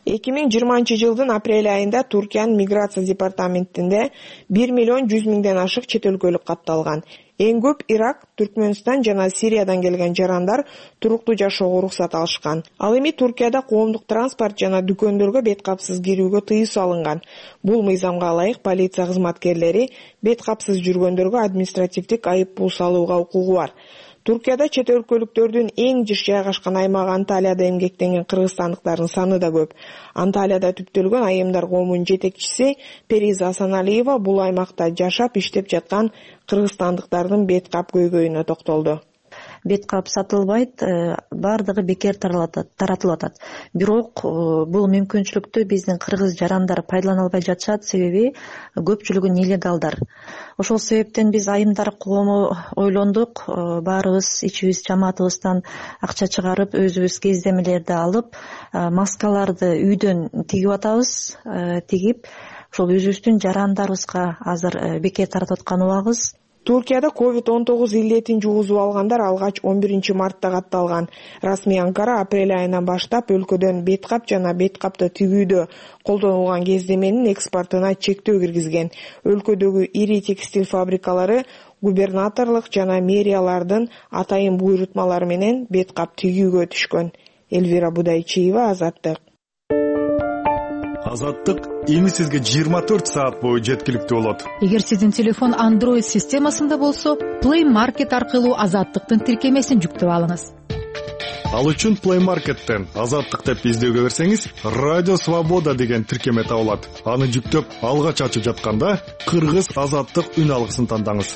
2020 жылдын апрель айында Туркиянын миграция департаментинде 1.100.000 ашык чет өлкөлүк катталган. Эң көп Ирак, Түркмөнстан жана Сириядан келген жарандар туруктуу жашоого уруксат алышкан. Ал эми Туркияда коомдук транспорт жана дүкөндөргө беткапсыз кирүүгө тыюу салынган. Бул мыйзамга ылайык полиция кызматкерлери беткапсыз жүргөндөргө административдик айып пул салууга укугу бар. Туркияда чет өлкөлүктөрдүн эң жыш жайгашкан аймагы Анталияда эмгектенген кыргызстандыктардын саны да көп. Анталияда түптөлгөн айымдар коомунун жетекчиси Периза Асаналиева бул аймакта жашап иштеп жаткан кыргызстандыктардын беткап көйгөйүнө токтолду. Беткап сатылбайт, бардыгы бекер таратылып атат. Бирок бул мүмкүнчүлүктү биздин кыргыз жарандар пайдалана албай жатышат, себеби көпчүлүгү нелегалдар. Ошол себептен биз айымдар коому ойлондук, баарыбыз ичибиз жамаатыбыздан акча чыгарып, өзүбүз кездемелерди алып, маскаларды үйдөн тигип атабыз, тигип, ошол өзүбүздүн жарандарыбызга азыр бекер таратып аткан убагыбыз. Туркияда COVID-19 илдетин жугузуп алгандар алгач 11 мартта катталган. Расмий Анкара апрель айынан баштап өлкөдөн беткап жана беткапты тигүүдө колдонулган кездеменин экспортуна чектөө киргизген. Өлкөдөгү ири текстиль фабрикалары губернаторлук жана мэриялардын атайын буйрутмалары менен беткап тигүүгө түшкөн. Элвира Будайчиева, Азаттык. Азаттык эми сизге 24 саат бою жеткиликтүү болот. Эгер сиздин телефон Android системасында болсо, Play Market аркылуу Азаттыктын тиркемесин жүктөп алыңыз. Ал үчүн Play Market'тен Азаттык деп издөөгө берсеңиз, Радио Свобода деген тиркеме табылат. Аны жүктөп, алгач ачып жатканда кыргыз Азаттык үн алгысын тандаңыз.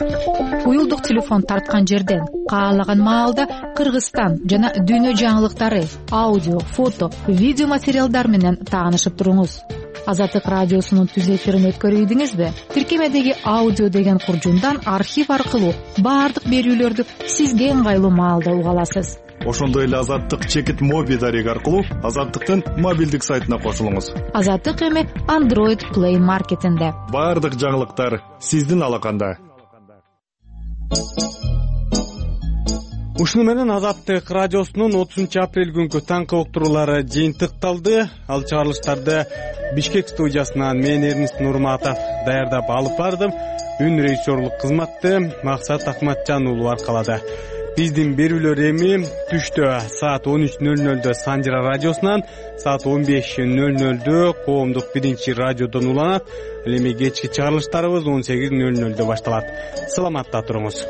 Уюлдук телефон тарткан жерден каалаган маалда Кыргызстан жана дүйнө жаңылыктары, аудио, фото, видео материалдар менен таанышып туруңуз. Азаттык радиосунун түз эфирин өткөрүйдүңүзбү? Тиркемедеги аудио деген куржундан архив аркылуу баардык берүүлөрдү сизге ыңгайлуу маалда уга аласыз. Ошондой эле Азаттык чекит моби дареги аркылуу Азаттыктын мобилдик сайтына кошулуңуз. Азаттык эми Android Play Market'инде. Баардык жаңылыктар сиздин алаканда. Ушуну менен Азаттык радиосунун 30 апрель күнкү таңкы уктуруулары жыйынтыкталды. Ал чыгарылыштарды Бишкек студиясынан мен Эрнест Нурматов даярдап алып бардым. Үн режиссерлук кызматты Максат Акматжан уулу аркалады. Биздин берүүлөр эми түштө саат 13:00 Санжыра радиосунан, саат 15:00 Коомдук биринчи радиодон уланат. Ал эми кечки чыгарылыштарыбыз 18:00 башталат. Саламатта туруңуз.